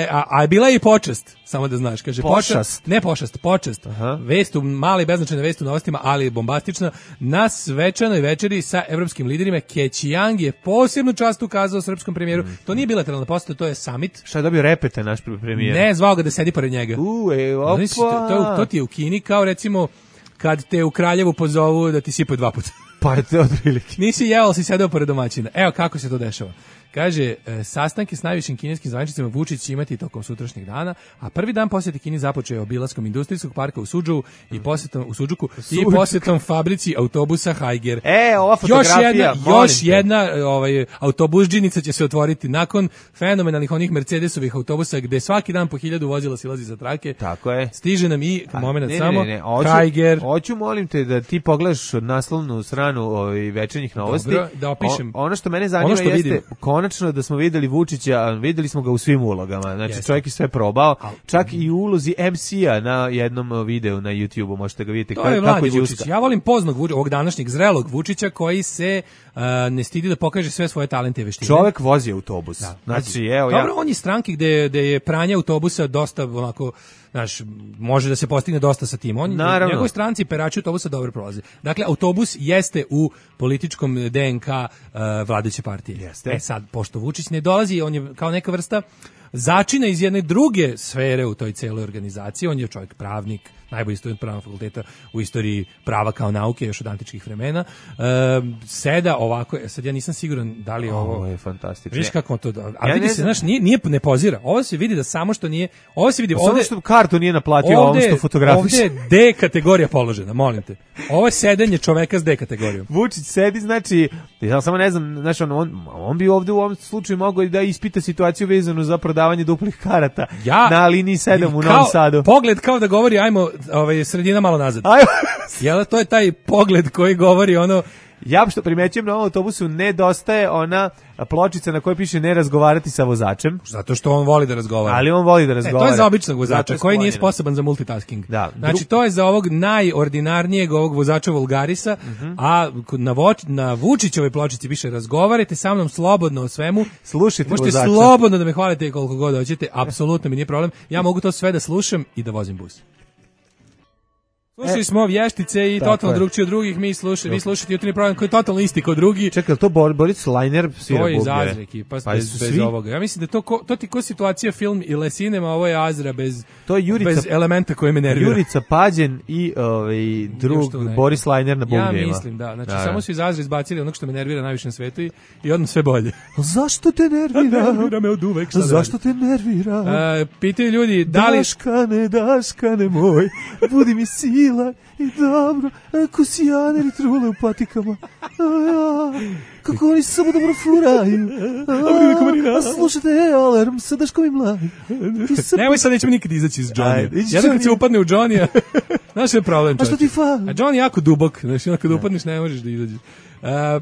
a bila je i počast, samo da znaš, kaže počast. Ne počast. Vest u male beznačajne vesti u novostima, ali bombastična, na svečanoj večeri sa evropskim liderima. Kećijang je posebnu čast ukazao srpskom premijeru. To nije bilateralna poseta, to je summit. Šta je dobio repete naš premijer? Ne, zvao ga da sedi pored njega. Opa. To ti je u Kini, kao recimo kad te u Kraljevu pozovu da ti sipaju 2 puta. Pa je to otprilike. Nisi jeo, si sedeo pored domaćina. Evo kako se to dešava. Kaže, sastanke s najvišim kineskim zvaničnicima Vučić će imati tokom sutrašnjeg dana, a prvi dan posjete Kini započeo je obilaskom industrijskog parka u posjetom fabrici autobusa Haiger. Ova fotografija, još jedna autobusđinica će se otvoriti nakon fenomenalnih onih Mercedesovih autobusa gde svaki dan po 1000 vozila silazi za trake. Tako je. Stiže nam i momenat samo Haiger. Hoću, molim te da ti pogledaš naslovnu stranu večernjih novosti. Dobro, da opišem. Ono što mene zanima jeste konačno da smo videli Vučića, videli smo ga u svim ulogama. Znači čovjek je sve probao, čak i u ulozi MC-a na jednom videu na YouTube-u, možete ga vidjeti kako je Vučić. Ja volim poznog ovog današnjeg zrelog Vučića koji se ne stidi da pokaže sve svoje talente i veštine. Čovjek vozi autobus. Znači, dobro, on je stranki gde je pranje autobusa dosta onako, znaš, može da se postigne dosta sa tim. Njegovi stranci perači autobusa dobro prolaze. Dakle, autobus jeste u političkom DNK vladajuće partije. Jeste. Sad, pošto Vučić ne dolazi, on je kao neka vrsta začina iz jedne druge sfere u toj celoj organizaciji. On je čovjek pravnik, najbolji student pravnog fakulteta u istoriji prava kao nauke još od antičkih vremena. Seda ovako, sad ja nisam siguran da li ovo je fantastično. Viš kako to, a vidi se, znaš, ne pozira. Ovo se vidi da samo što nije, ovo se vidi ovde, samo što kartu nije naplatio ovom što fotografiše. Ovde je D kategorija položena, molim te. Ovo je sedenje čoveka s D kategorijom. Vučić sedi, znači, ja samo ne znam, znači on bi ovde u ovom slučaju mogao da ispita situaciju vezanu za prodavanje duplih karata na liniji 7 u Novom Sadu. Pogled kao da govori, ajmo sredina malo nazad. Jel, to je taj pogled koji govori ono. Ja što primećujem na ovom autobusu nedostaje ona pločica na kojoj piše ne razgovarati sa vozačem. Zato što on voli da razgovara. Ali on voli da razgovara. To je za običnog vozača koji nije sposoban za multitasking. Da. Znači to je za ovog najordinarnijeg ovog vozača vulgarisa, a na Vučićevoj pločici piše razgovarajte sa mnom slobodno o svemu. Slušajte možete vozača. Slobodno da me hvalite koliko god hoćete, apsolutno mi nije problem. Ja mogu to sve da slušam i da vozim bus. Slušali smo Vještice i totalno drugčije od drugih, vi slušate jutarnji program koji je totalno isti kao drugi. Čekaj, to Boris Lajner svira bubnjeve? To je iz Azreki, bez ovoga. Ja mislim da to ti ko situacija film ili cinema, ovo je Azra bez elementa koje me nervira. Jurica Pađen i drug Boris Lajner na bubnjevima. Ja mislim, da. Znači, samo su iz Azra izbacili onog što me nervira najviše na svetu i odmah sve bolje. Zašto te nervira? Nervira me od uvek. Zašto te nervira? Pitaju ljudi, da li... Daškane moj, budi mi sila i dobro, ako si janer i trule u patikama. Kako oni samo dobro furaju. A slušajte, alarm sa Daškom i Mladim. Nemoj sad, nećemo nikad izaći iz Johnny. Jedan kad se upadne u Johnny, znaš je problem. A što ti fali? A Johnny je jako dubok, znači kad upadneš ne možeš da izađeš.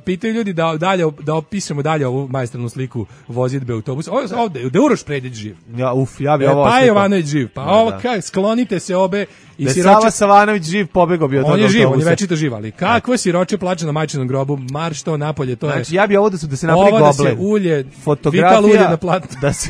Pitaju ljudi da opišemo dalje ovu majstranu sliku vozidbe autobusa. Ovde, da Uroš Predić živ. Ja bi ovo Pa Jovanović živ. Pa ovo, sklonite se obe. Da Sava Savanović živ, pobegao bi od on je živ, on je večito živ, ali kakvo siroče plače na majčinom grobu, marš to napolje, to je. Znači ja bi ovo da se napravi goble. Da se ulje, vital ulje na platnu. Da se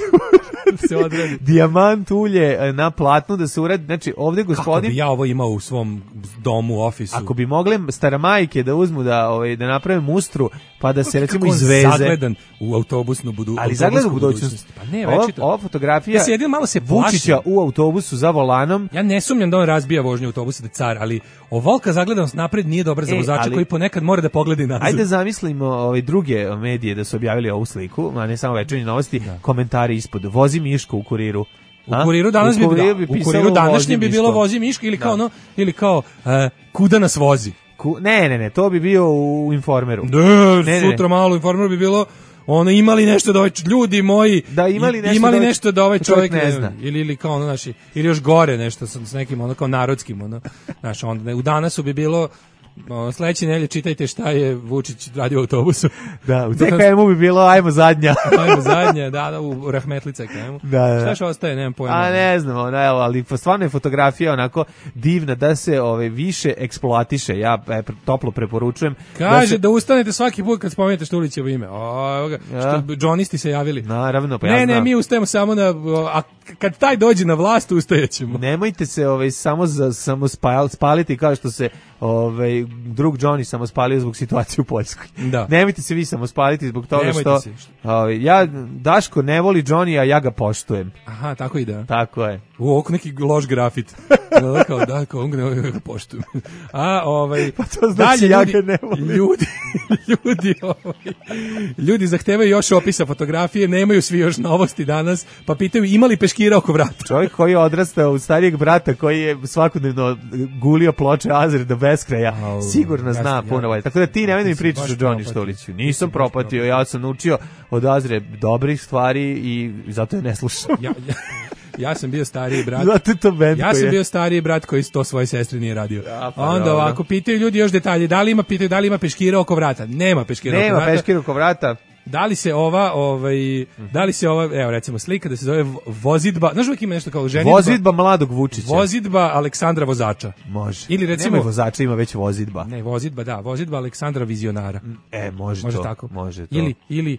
se odradi. Dijamant ulje na platnu da se uradi. Znači, ovde gospodin... Kako bi ja ovo imao u svom domu, ofisu? Ako bi mogle staramajke da uzmu da naprave mustru, pa da se recimo izveze. Zagledan u autobusnu budućnost. Ali zagledan u budućnosti. Pa ne, večito. Ova fotografija malo se Vučića u autobusu za volanom. Ja ne sumnjam da on razbija vožnju autobusa da car, ali ovolika zagledanost napred nije dobra za vozača koji ponekad mora da pogleda nazad. Ajde zamislimo druge medije da su objavili ovu sliku, a ne samo Večernje novosti, komentari ispod. Vozi Miško u Kuriru. U Kuriru danas u Kuriru današnjem bi bilo vozi Miško ili kao kuda nas vozi. Ne, to bi bio u Informeru. Sutra malo u Informeru bi bilo imali nešto da ljudi moji imali nešto da ovaj čovjek ne zna ili kao naši ili još gore nešto s nekim kao narodskim znaš, onda u Danasu bi bilo sledeće nedelje čitajte šta je Vučić radio u autobusu. Da, u CKM-u bi bilo ajmo zadnja. Ajmo zadnja, da, u Rahmetlica CKM-u. Da. Šta još ostaje, nemam pojma. A ne znam, ali stvarno je fotografija onako divna da se više eksploatiše. Ja toplo preporučujem. Kaže da ustanete svaki put kad spomenete Štulićevo ime. Što džonisti se javili. Naravno, pa ja znam. Ne, mi ustajemo samo a kad taj dođe na vlast ustajećemo. Nemojte se samo spaliti kao što se drug Johnny samo spalio zbog situacije u Poljskoj. Da. Nemojte se vi samo spaliti zbog toga što Daško ne voli Johnny, a ja ga poštujem. Aha, tako i da. Tako je. Oko neki loš grafit. Kao on ga poštujem. Pa to znači ja ga ne volim. Ljudi zahtevaju još opisa fotografije, nemaju svi još novosti danas, pa pitaju ima li peškira oko vrata. Čovjek koji je odrastao u starijeg brata, koji je svakodnevno gulio ploče Azre do beskraja, sigurno zna puno bolje. Tako da ti nemoj da mi pričaš o Johnny Štuliću. Nisam propatio, ja sam naučio od Azre dobrih stvari i zato je ne slušam. Ja sam bio stariji brat. Bio stariji brat koji to svoje sestre nije radio. Onda ovako pitaju ljudi još detalje, da li ima peškira oko vrata? Nema peškira oko vrata. Nema peškira oko vrata. Da li se ova, evo recimo slika da se zove vozidba, znaš uvijek ima nešto kao ženidba. Vozidba mladog Vučića. Vozidba Aleksandra vozača. Može. Ili recimo nema vozača, ima već vozidba. Ne, vozidba Aleksandra vizionara. Može to. Tako. Može to. Ili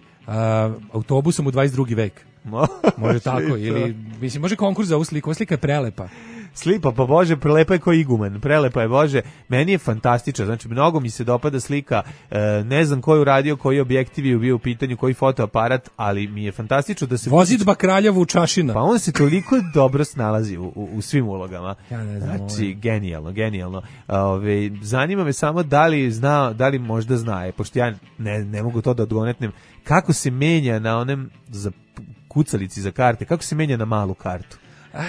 autobusom u 22. vek. Može tako, ili mislim može konkurs za ovu sliku. Ova slika je prelepa. Slipa, pa Bože, prelepa je ko iguman, prelepa je Bože, meni je fantastično, znači mnogo mi se dopada slika, ne znam ko je uradio, koji objektiv je bio u pitanju, koji fotoaparat, ali mi je fantastično da se... Vozidba kralja Vučašina. Pa on se toliko dobro snalazi u svim ulogama. Ja ne znam. Znači, genijalno. Zanima me samo da li možda zna, pošto ja ne mogu to da odgonetnem, kako se menja na onem za kucalici za karte, kako se menja na malu kartu.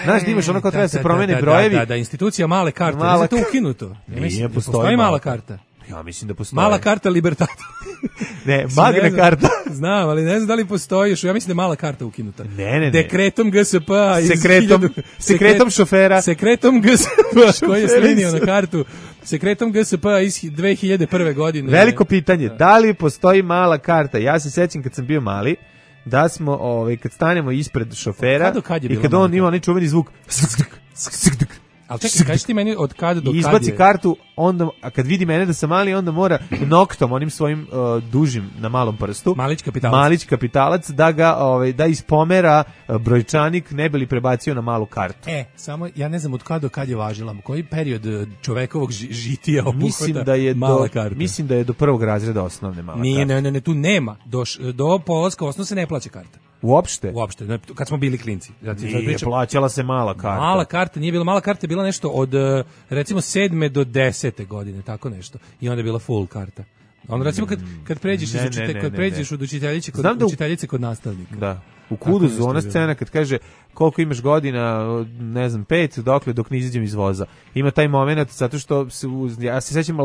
Znaš, imaš ono kao treba se promene brojevi. Da, institucija male karte. Nije to ukinuto. Nije, postoji mala karta. Ja mislim da postoji. Mala karta Libertata. Ne, Magna karta. Znam, ali ne znam da li postoji još. Ja mislim da je mala karta ukinuta. Ne. Dekretom GSP Sekretom šofera. Sekretom GSP koji je slinio na kartu. Sekretom GSP iz 2001. godine. Veliko pitanje, da li postoji mala karta? Ja se sećam kad sam bio mali, da smo, kad stanemo ispred šofera i kad on ima onaj čuveni zvuk ali čekaj, kaži ti meni od kada do kada izbaci kartu, onda, a kad vidi mene da sam mali, onda mora noktom, onim svojim dužim na malom prstu, malić kapitalac, da ga da ispomera brojčanik, ne bi li prebacio na malu kartu. Samo ja ne znam od kada do kada je važila, koji period čovekovog žitija obuhvata mala karta. Mislim da je do prvog razreda osnovne mala karta. Ne, tu nema. Do polaska osnovne se ne plaća karta. Uopšte, kad smo bili klinci. Nije plaćala se mala karta. Mala karta nije bila, mala karta je bila nešto od recimo 7. do 10. godine, tako nešto. I onda je bila full karta. Onda recimo kad pređeš od učiteljice kod nastavnika. Da. U Kuduzu, ona scena kad kaže koliko imaš godina, ne znam, 5, dok ne izađem iz voza. Ima taj moment, zato što ja se sećam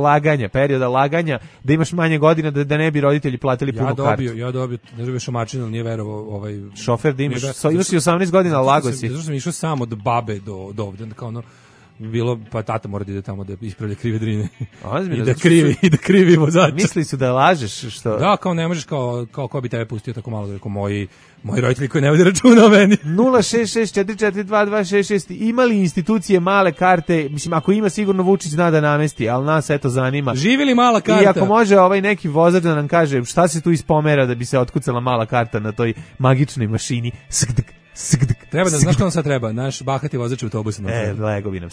perioda laganja, da imaš manje godina, da ne bi roditelji platili punu kartu. Ja dobio, ne dobio mačinu, ali nije verovao šofer da imaš i 18 godina, lago si. Zato što sam išao sam od babe do ovdje, kao ono, bilo, pa tata mora da ide tamo da ispravlja krive drine. I da krivi vozača. Misli su da lažeš, što? Da, kao ne možeš, kao ko bi tebe pustio tako malo, kao moji roditelji koji ne vode računa o meni. 066442266. Ima li institucije male karte? Mislim, ako ima, sigurno Vučić zna da namesti, ali nas eto zanima. Živi li mala karta? I ako može neki vozač da nam kaže šta se tu ispomera da bi se otkucala mala karta na toj magičnoj mašini. Treba da, znaš ko nam sad treba? Naš bahati vozač autobusa. Legovi nam.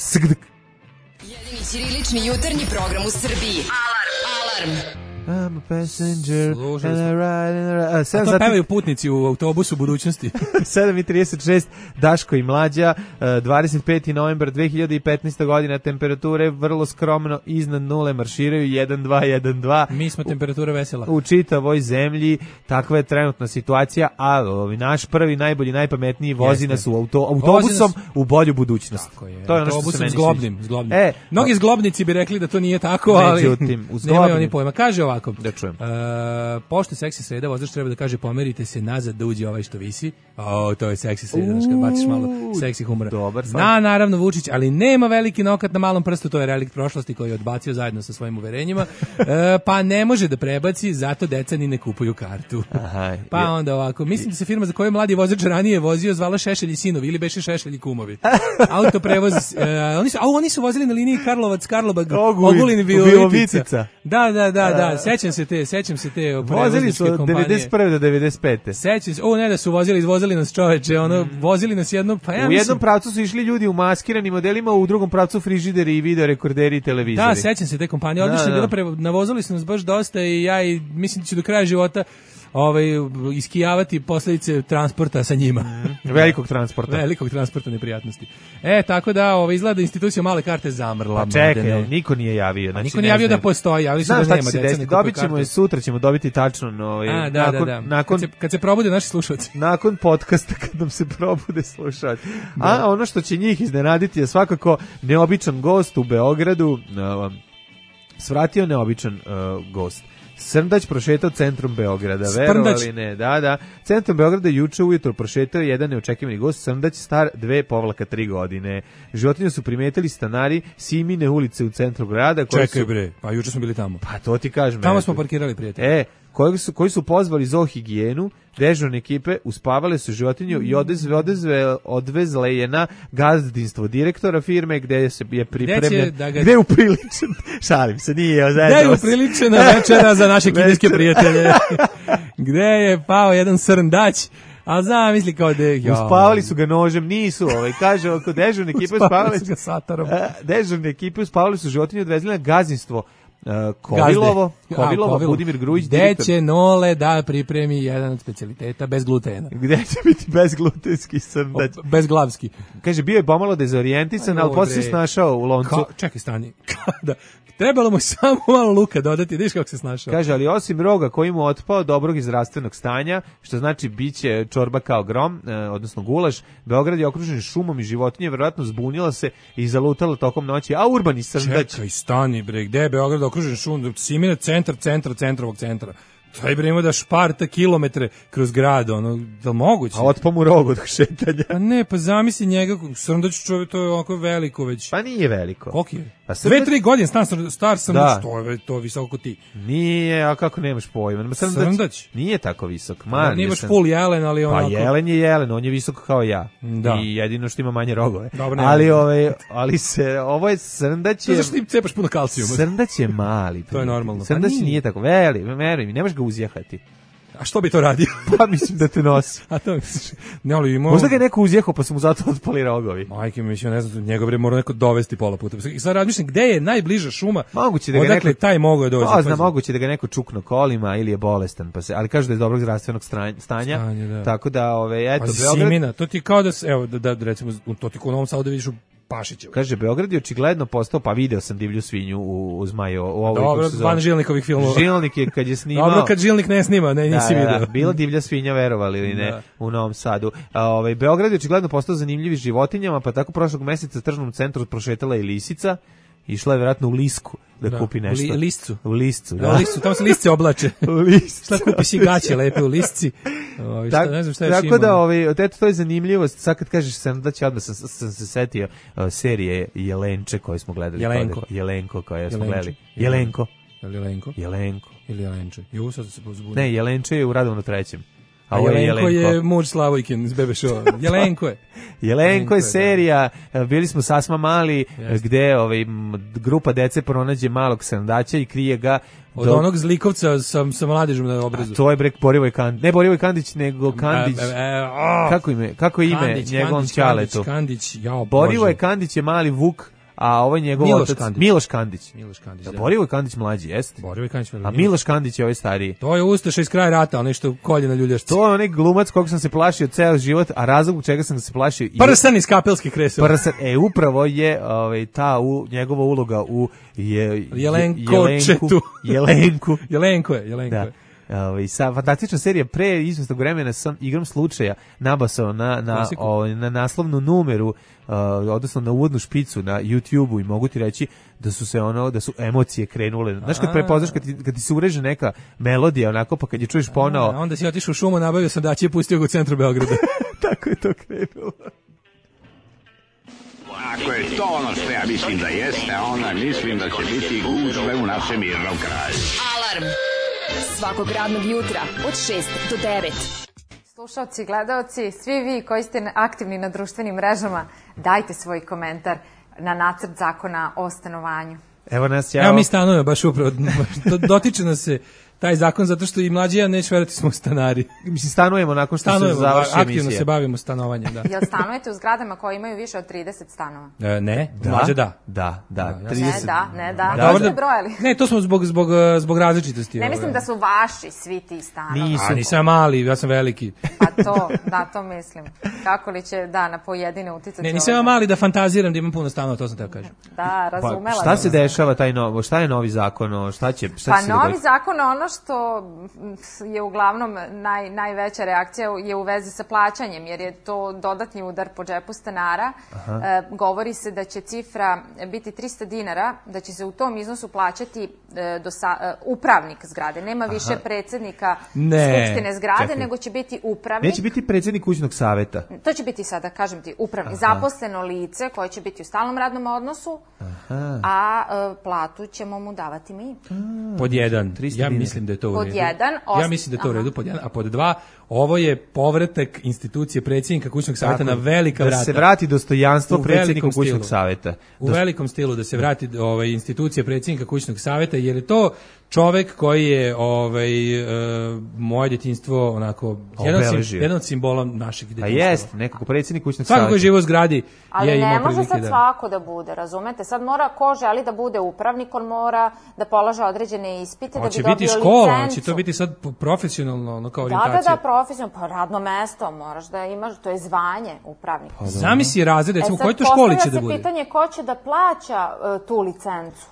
Jedini ćirilični jutarnji program u Srbiji. Alarm. I'm a passenger and I ride. A to pevaju putnici u autobusu budućnosti. 7:36, Daško i Mlađa, 25. novembar 2015. godina, temperature vrlo skromno iznad nule, marširaju 1-2. Mi smo temperatura vesela. U čitavoj zemlji, takva je trenutna situacija, a naš prvi, najbolji, najpametniji vozi nas u autobusom u bolju budućnost. Tako je. To je ono što se meni zglobnim. Mnogi zglobnici bi rekli da to nije tako, ali nemaju oni pojma. Kaže ovako, da čujem. Pošto seksi sreda, vozač treba da kaže pomerite se nazad da uđe ovaj što visi. To je seksi sreda, znači kad baciš malo seksi humora. Dobar, zna naravno Vučić, ali nema veliki nokat na malom prstu, to je relikt prošlosti koji je odbacio zajedno sa svojim uverenjima. Pa ne može da prebaci, zato deca ni ne kupuju kartu. Aha, pa onda ovako, mislim da se firma za koju mladi vozač ranije vozio zvala Šešelj i sinovi ili beše Šešelj i kumovi. Autoprevoz, oni su vozili na liniji Karlovac, Karlobag, Ogulin, Virovitica. Da. Sećam se te vozili su od 91. do 95. Sećam se, ne da su izvozili nas čoveče, vozili nas jedno, pa ja u jednom pravcu su išli ljudi u maskiranim modelima, u drugom pravcu frižideri i video rekorderi i televizori. Da, sećam se te kompanije, odlično bilo, navozili su nas baš dosta i ja mislim da ću do kraja života iskijavati posljedice transporta sa njima. Velikog transporta neprijatnosti. Tako da izgleda institucija male karte zamrla. Pa čekaj, niko nije javio. Znači, niko nije javio da postoji, javili su da nema deca. Dobit ćemo i sutra ćemo dobiti tačno. Kad se probude naši slušalci. Nakon podcasta kad nam se probude slušalci. A ono što će njih iznenaditi je svakako neobičan gost u Beogradu. Svratio neobičan gost. Srndać prošetao centrom Beograda, verovali ne, da. Centrom Beograda juče ujutro prošetao jedan neočekivani gost, Srndać star 2,3 godine. Životinju su primetili stanari Simine ulice u centru grada. Čekaj bre, pa juče smo bili tamo. Pa to ti kažem. Tamo smo parkirali, prijatelji. Koji su pozvali zoohigijenu, dežurne ekipe uspavale su životinju i odvezle je na gazdinstvo direktora firme gde je pripremljen, gde je upriličen, šalim se, nije gde je upriličena večera za naše kineske prijatelje, gde je pao jedan srndać. A zamisli kao uspavali su ga nožem, nisu, kaže oko dežurne ekipe uspavali su ga satarom. Dežurne ekipe uspavali su životinju, odvezli na gazdinstvo Kovilovo, Budimir Grujić, gde će Nole da pripremi jedan od specijaliteta bez glutena. Gde će biti bezglutenski srndać? Bezglavski. Kaže, bio je pomalo dezorijentisan, ali posle se snašao u loncu. Čekaj, stani. Trebalo mu samo malo luka dodati, vidiš kako se snašao. Kaže, ali osim roga koji mu otpao dobrog i zdravstvenog stanja, što znači biće čorba kao grom, odnosno gulaš, Beograd je okružen šumom i životinje verovatno zbunila se i zalutala tokom noći, a urbani srndać. Čekaj, stani bre, gde je Beograd okružen šumom? Simina centrovog centra. Taj bre ima da šparta kilometre kroz grad, da moguće. A otpo mu rog od šetanja. Pa ne, pa zamisli njega, srndać čovjek, to je ovako veliko već. Pa nije veliko. Koliko je? 2-3 godine star srndać, to je visoko ko ti. Nije, a kako nemaš pojma? Srndać? Nije tako visok. Nije baš full jelen, ali onako. Pa jelen je jelen, on je visok kao ja. Da. I jedino što ima manje rogove. Dobro, ali ovo je srndać je... To zašto ti cepaš puno kalcijuma? Srndać je mali. To je normalno. Srndać nije tako, veruj mi, nemaš ga uzjahati. A što bi to radio? Pa mislim da te nosi. A to misliš? Ne, ali ima... Možda ga je neko uzjehao pa su mu zato otpali rogovi. Majke mi, ne znam, njegov bre mora neko dovesti pola puta. I sad razmišljam, gde je najbliža šuma? Moguće da ga odakle taj mogao doći? Moguće da ga neko čukno kolima ili je bolestan, ali kaže da je dobrog zdravstvenog stanja. Tako da, eto, Beograd... Simina, to ti kao da, evo, da recimo, to ti ko u Novom Sadu da vidiš u Pašićevo. Kaže, Beograd je očigledno postao, pa video sam divlju svinju u Zmaju. Dobro, van Žilnikovih filmova. Žilnik je kad je snimao... Dobro, kad Žilnik ne snima, nisi video. Da, bila divlja svinja, verovali ili ne, u Novom Sadu. Beograd je očigledno postao zanimljivi životinjama, pa tako prošlog meseca u tržnom centru prošetala i lisica. Išla je vjerojatno u Lisku da kupi nešto. Liscu. U Liscu, da. U Liscu, tamo se lisce oblače. U Liscu. Šta kupi si gaće lepe u Lisci. Ne znam šta još tako da, eto, to je zanimljivost. Sad kad kažeš srndać, odmah sam se setio serije Jelenče koje smo gledali. Jelenko koje smo gledali. Jelenko. Jelenko. Jelenko. Ili Jelenče. Jo, sad se pozbunio. Ne, Jelenče je u Radovnu 3. A Jelenko je muž Slavojkin iz Bebe Show. Jelenko je serija, bili smo sasma mali, gde grupa dece pronađe malog srndaća i krije ga od onog zlikovca sa mladežom na obrazu. To je Borivoj Kandić. Ne Borivoj Kandić, nego Kandić. Kako je ime njegovom ćaletu? Borivoj Kandić je mali Vuk, a ovo je njegov otac Miloš Kandić. Da, Borivoj Kandić mlađi, jeste? Borivoj Kandić mlađi. A Miloš Kandić je ovaj stariji. To je ustaša iz kraja rata, onaj što kolje na ljuljašci. To je onaj glumac kog sam se plašio ceo život, a razlog u čega sam se plašio... Prsan iz Kapelske kresova. Upravo je njegova uloga u Jelenku. Jelenko je. Sa fantastična serija pre izvestog vremena sam igrom slučaja nabasao na naslovnu numeru, odnosno na uvodnu špicu na YouTube-u i mogu ti reći da su emocije krenule. Znaš kad prepoznaš kad ti se ureže neka melodija onako, pa kad je čuješ ponao. Onda si otišao u šumu, nabavio sam da će pustio ga u centru Beograda. Tako je to krenulo. Ako je to ono što ja mislim da jeste, onda mislim da će biti gužve u našem mirnom kraju. Alarm svakog radnog jutra od 6 do 9. Slušalci, gledaoci, svi vi koji ste aktivni na društvenim mrežama, dajte svoj komentar na nacrt zakona o stanovanju. Evo mi stanujemo baš upravo, dotiče nas se taj zakon zato što i mlađi ja neću verovati smo stanari. Mislim, stanujemo nakon što se završi emisija. Aktivno se bavimo stanovanjem, da. Jel stanujete u zgradama koje imaju više od 30 stanova? Ne, mlađe da. Da. Ne, da ste brojali. Ne, to smo zbog različitosti. Ne mislim da su vaši svi ti stanovi. Nisam mali, ja sam veliki. Pa to mislim. Kako li će, na pojedine uticati? Ne, nisam mali da fantaziram da imam puno stanova, to sam teo kažem. Da, razumela. Šta se dešava šta je novi zakon? Pa novi zakon, ono što je uglavnom najveća reakcija je u vezi sa plaćanjem, jer je to dodatni udar po džepu stanara. Govori se da će cifra biti 300 dinara, da će se u tom iznosu plaćati upravnik zgrade. Nema više predsjednika skupštine zgrade, nego će biti upravnik. Neće biti predsjednik kućnog saveta. To će biti sada, kažem ti, upravnik. Zaposleno lice koje će biti u stalnom radnom odnosu, a platu ćemo mu davati mi. Pod jedan, ja mislim da je to u redu. Ja mislim da je to u redu, pod jedan. A pod dva, ovo je povratak institucije predsjednika kućnog savjeta na velika vrata. Da se vrati dostojanstvo predsjednika kućnog savjeta. U velikom stilu da se vrati institucija predsjednika kućnog savjeta, jer je to čovek koji je moje djetinjstvo onako jedan od simbola našeg djetinjstva. Pa jest, nekako predsjednik kućnog savjeta. Svako koji živo u zgradi je imao prilike. Ali ne može sad svako da bude, razumete? Sad mora ko želi da bude upravnik, on mora da polaže određene ispite, da bi dobio licencu. Hoće biti škola, će to biti sad profesionalno kao orijentacija. Da, profesionalno, pa radno mesto moraš da imaš, to je zvanje upravnika. Zamisli razred, recimo, u kojoj to školi će da bude? Postavlja se pitanje ko će da plaća tu licencu.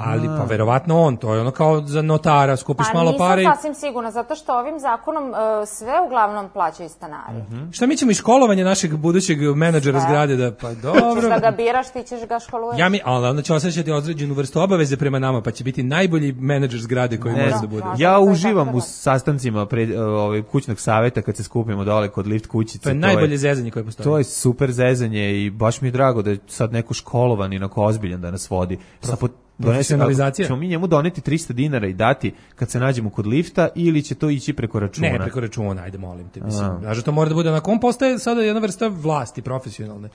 Ali pa verovatno on, to je ono kao za notara, skupiš malo pare. Pa nisam sasvim sigurna, zato što ovim zakonom sve uglavnom plaćaju stanari. Šta mi ćemo i školovanje našeg budućeg menadžera zgrade da, pa dobro. Ti ćeš da ga biraš, ti ćeš ga školuješ. Ali onda će osjećati određenu vrstu obaveze prema nama, pa će biti najbolji menadžer zgrade koji može da bude. Ja uživam u sastancima kućnog savjeta kad se skupimo dole kod lift kućice. To je najbolje zezanje koje postoji. To je super zezanje i baš mi je drago da je sad neko školovan i onako ozbiljan da nas vodi. Profesionalizacija. Ćemo mi njemu doneti 300 dinara i dati kad se nađemo kod lifta ili će to ići preko računa? Ne, preko računa, ajde molim te. Mislim, znači to mora da bude onako, on postaje sada jedna vrsta vlasti profesionalne.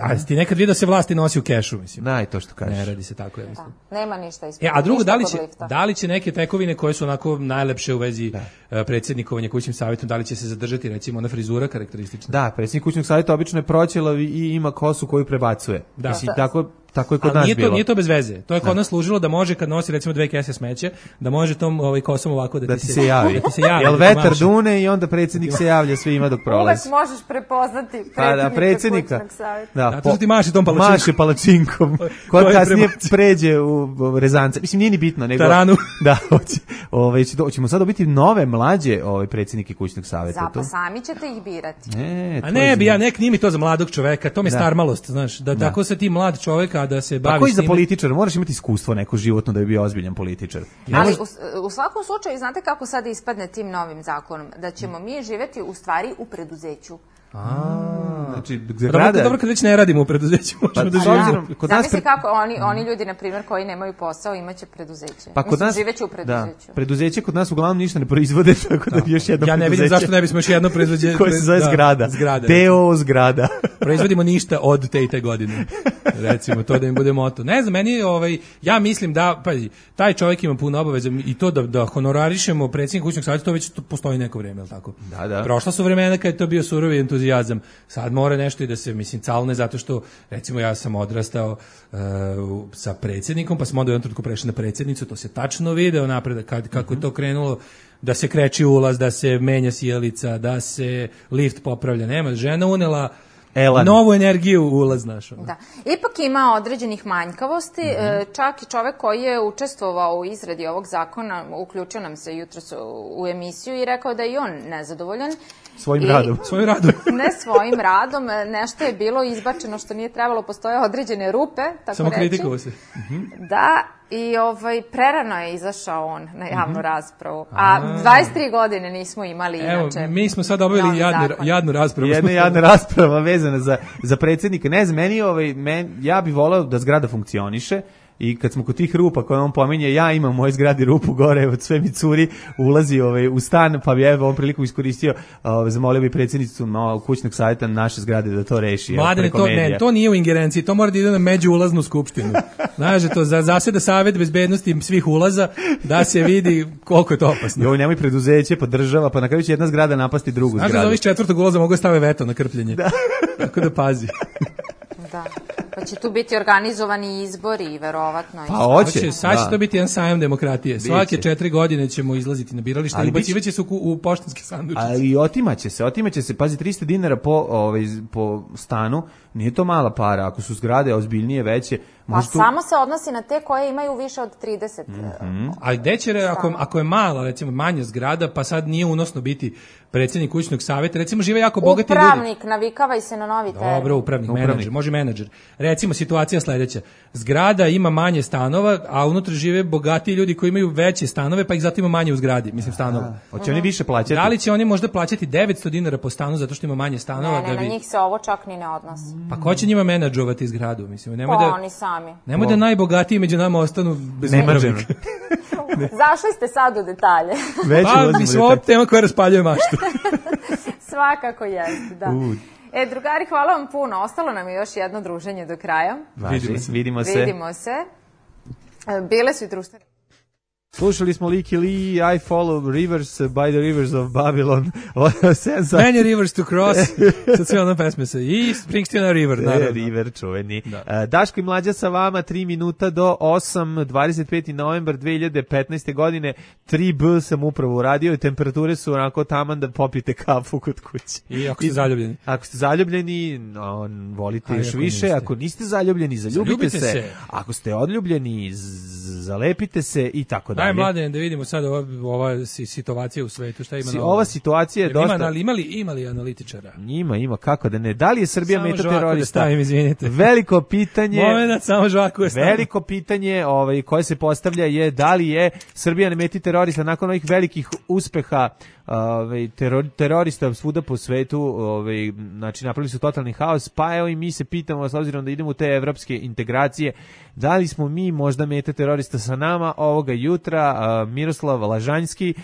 A ti nekad vidio da se vlasti nosi u kešu, mislim. To što kažeš. Ne radi se tako, ja mislim. Nema ništa ispred. A drugo, da li će neke tekovine koje su onako najlepše u vezi predsjednikovanja kućnim savjetom, da li će se zadržati, recimo, ona frizura karakteristična? Da, predsjednik kućnog savjeta obično je proćelav i ima kosu koju prebacuje. Da. Mislim, tako je kod nas bilo. Nije to bez veze. To je kod nas služilo da može kad nosi recimo 2 kese smeće, da može tom kosom ovako da ti se javi. Jel vetar dune i onda predsjednik se javlja svima dok prolazi. Uvek možeš prepoznati predsjednika kućnog savjeta. Da, to ti maši tom palačinkom. Maši palačinkom. Kod kasnije pređe u rezance. Mislim, nije ni bitno. Nego, Taranu. Da, hoćemo sad dobiti nove mlađe predsjednike kućnog savjeta. Pa sami ćete ih birati. Nek nimi to za mladog čoveka, to mi je starmalost, znaš, da tako se ti mlad čoveka da se bavi. Tako i za političara, moraš imati iskustvo neko životno da bi bio ozbiljan političar. Ali u svakom slučaju, znate kako sad ispadne tim novim zakonom? Da ćemo mi živjeti u stvari u preduzeću. Znači, dobro kad već ne radimo u preduzeću, možemo da živimo. Zamisli kako oni ljudi, na primjer, koji nemaju posao, imaće preduzeće. Pa kod nas živeće u preduzeću. Da, preduzeće kod nas uglavnom ništa ne proizvode, tako da još jedno preduzeće. Ja ne vidim zašto ne bismo još jedno preduzeće koje se zove zgrada. Deo zgrada. Proizvodimo ništa od te i te godine. Recimo, to da im bude moto. Ne znam, meni ja mislim da, pazi, taj čovjek ima puno obaveza i to da honorarišemo predsjednika kućnog savjeta, to već postoji neko vrijeme, al tako. Da. Prošla su vremena kad je to bio surovi entuzijazam. Sad mora nešto i da se calne, zato što recimo ja sam odrastao sa predsjednikom, pa smo onda u jednom trenutku prešli na predsjednicu, to se tačno video napred kako je to krenulo, da se kreći ulaz, da se menja sjelica, da se lift popravlja. Nema, žena unela novu energiju u ulaz našu. Da. Ipak ima određenih manjkavosti, čak i čovek koji je učestvovao u izradi ovog zakona, uključio nam se jutros u emisiju i rekao da je i on nezadovoljan. Svojim radom. Ne svojim radom, nešto je bilo izbačeno što nije trebalo, postoje određene rupe, tako samo reći. kritikovo se. Da, i prerano je izašao on na javnu raspravu. A 23 godine nismo imali inače. Evo, mi smo sad obavili jadnu raspravu. Jedna jadna rasprava vezana za predsjednika. Ne znam, ja bih voleo da zgrada funkcioniše. I kad smo kod tih rupa koje on pominje, ja imam u mojoj zgradi rupu gore, od sve mi curi, ulazi u stan, pa bi ovom priliku iskoristio, zamolio bi predsjednicu kućnog savjeta naše zgrade da to reši. Mladene, to nije u ingerenciji, to mora da ide na međuulaznu skupštinu. Znaš, to zaseda savjet bezbednosti svih ulaza, da se vidi koliko je to opasno. Joj, nemoj preduzeće, pa država, pa na kraju će jedna zgrada napasti drugu zgradu. Znaš da ovih četvrtog ulaza mogu stave veto na krpljenje. Tako da pazi. Da. Pa će tu biti organizovani izbori, verovatno. Pa hoće. Sad će to biti jedan sajam demokratije. Svake 4 godine ćemo izlaziti na biralište i ubacivaće se u poštanske sandučice. Ali otimaće se. Pazi, 300 dinara po stanu, nije to mala para. Ako su zgrade ozbiljnije, veće. Pa samo se odnosi na te koje imaju više od 30. Ali gde će, ako je mala, recimo manja zgrada, pa sad nije unosno biti predsjednik kućnog savjeta, recimo žive jako bogati ljudi. Upravnik, navikavaj se na novi termin. Dobro, upravnik, menadžer, može menadžer. Recimo, situacija sledeća. Zgrada ima manje stanova, a unutra žive bogatiji ljudi koji imaju veće stanove, pa ih zato ima manje u zgradi, mislim stanova. Hoće oni više plaćati? Da li će oni možda plaćati 900 dinara po stanu zato što ima manje stanova? Ne, na njih se ovo čak ni ne odnosi. Pa ko će njima menadžovati zgradu? Mislim, oni sami. Nemoj da najbogatiji među nama ostanu bez upravnika. Zašli ste sad u detalje. Pa, mislim, ovo tema koja raspaljuje maštu. Svakako jeste, da. Drugari, hvala vam puno. Ostalo nam je još jedno druženje do kraja. Vidimo se. Bile su i društvene. Slušali smo Licky Lee, I Follow Rivers by the Rivers of Babylon. Many rivers to cross. Sad sve ono pesme se. I Springsteen River, naravno. River, čuveni. Daško i Mlađa sa vama, 3 minuta do 8, 25. novembar 2015. godine. 3B sam upravo uradio i temperature su onako taman da popijete kafu kod kuće. I ako ste zaljubljeni. Ako ste zaljubljeni, volite još više. Ako niste zaljubljeni, zaljubite se. Ako ste odljubljeni, zalepite se i tako dalje. Daj, Mladen, da vidimo sad ova situacija u svetu, šta ima na ova situacija je dosta... Ima li analitičara? Ima, kako da ne. Da li je Srbija meta terorista? Samo žvaku da stavim, izvinite. Veliko pitanje... Momenat, samo žvaku da stavim. Veliko pitanje koje se postavlja je da li je Srbija na meti terorista nakon ovih velikih uspeha terorista svuda po svetu, znači napravili su totalni haos, pa evo i mi se pitamo, s obzirom da idemo u te evropske integracije, da li smo mi možda meta terorista sa nama ovoga jutra. Miroslav Lažanjski,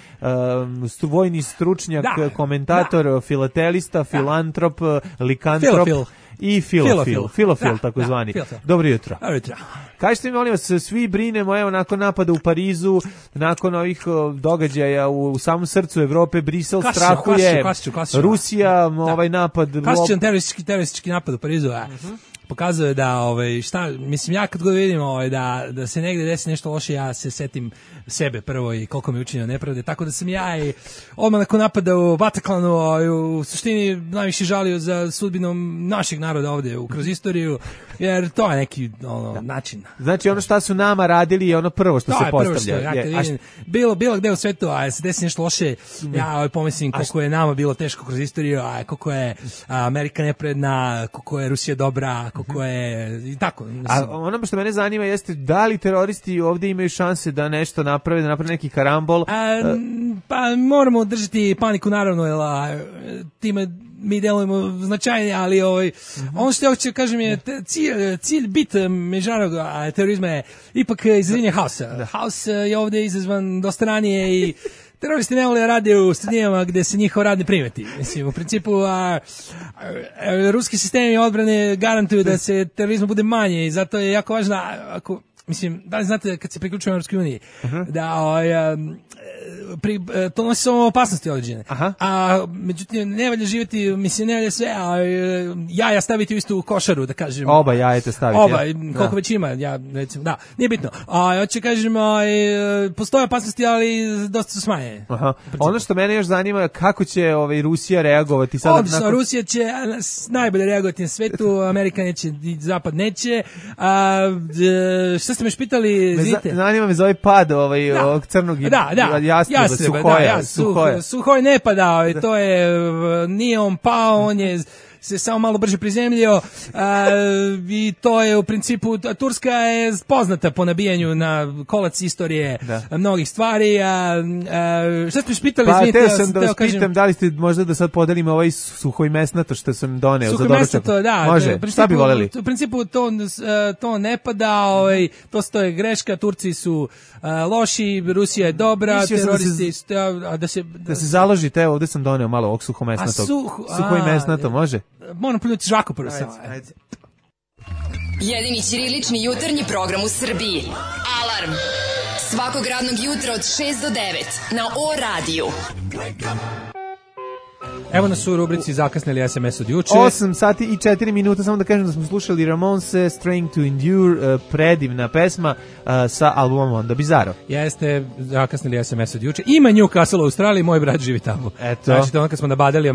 vojni stručnjak, komentator, filatelista, filantrop, likantrop i filofil takozvani. Dobro jutro. Kažete mi, molim vas, svi brinemo, evo, nakon napada u Parizu, nakon ovih događaja u samom srcu Evrope, Brisel strahuje, Rusija, ovaj napad... Klasičan teroristički napad u Parizu, pokazuje da mislim, ja kad god vidim da se negde desi nešto loše, ja se setim sebe prvo i koliko mi je učinjeno nepravde, tako da sam ja i odmah nakon napada u Bataklanu u suštini najviše žalio za sudbinom našeg naroda ovde kroz istoriju, jer to je neki način. Znači ono što su nama radili je ono prvo što se postavlja. Bilo gde u svetu, a se desi nešto loše, ja pomislim koliko je nama bilo teško kroz istoriju, a koliko je Amerika nepredna, koliko je Rusija dobra, koliko je i tako. A ono što mene zanima jeste da li teroristi ovdje imaju šanse da nešto naprave, da naprave neki karambol? Pa moramo držati paniku, naravno, jer time mi delujemo značajnije, ali ono što ja hoću kažem je cilj bit međunarodnog terorizma je ipak izazivanje haosa. Haos je ovdje izazvan dosta ranije i teroristi ne vole da rade u sredinama gde se njihov rad ne primeti. Mislim, u principu ruski sistemi odbrane garantuju da se terorizma bude manje i zato je jako važno mislim, da li znate kad se priključujemo Europskoj uniji, da to nosi samo opasnosti određene. A međutim, ne valja živjeti, mislim, ne valja sve, a jaja staviti u istu košaru, da kažem. Oba jajete staviti. Oba, koliko već ima, ja recimo, da, nije bitno. A hoće kažem, postoje opasnosti, ali dosta su smanjene. Ono što mene još zanima, kako će Rusija reagovati sad? Odlično, Rusija će najbolje reagovati na svetu, Amerika neće, Zapad neće. Šta ste me špitali? Zanima me za ovaj pad ovog crnog jastreba, Suhoj ne pada, to je, nije on pao, on je se samo malo brže prizemljio i to je u principu, Turska je poznata po nabijanju na kolac istorije mnogih stvari. Šta ste pitali? Pa teo sam da vas pitam da li ste možda da sad podelimo ovaj suhojmesnato što sam doneo za doručak. Da, može, šta bi voljeli? U principu to ne pada, to je greška, Turci su loši, Rusija je dobra, teroristi da se založite, evo ovdje sam doneo malo ovog suhomesnatog. Suhojmesnato, može? Moram pljuti žvaku prvo samo. Jedini ćirilični jutarnji program u Srbiji. Alarm. Svakog radnog jutra od 6 do 9 na O-radiju. Evo nas u rubrici zakasnili SMS od juče. 8 sati i 4 minuta, samo da kažem da smo slušali Ramones, Strength to Endure, predivna pesma sa albumom Onda Bizarro. Jeste, zakasnili SMS od juče. Ima Newcastle u Australiji, moj brat živi tamo. Eto. Znači, ono kad smo nabadali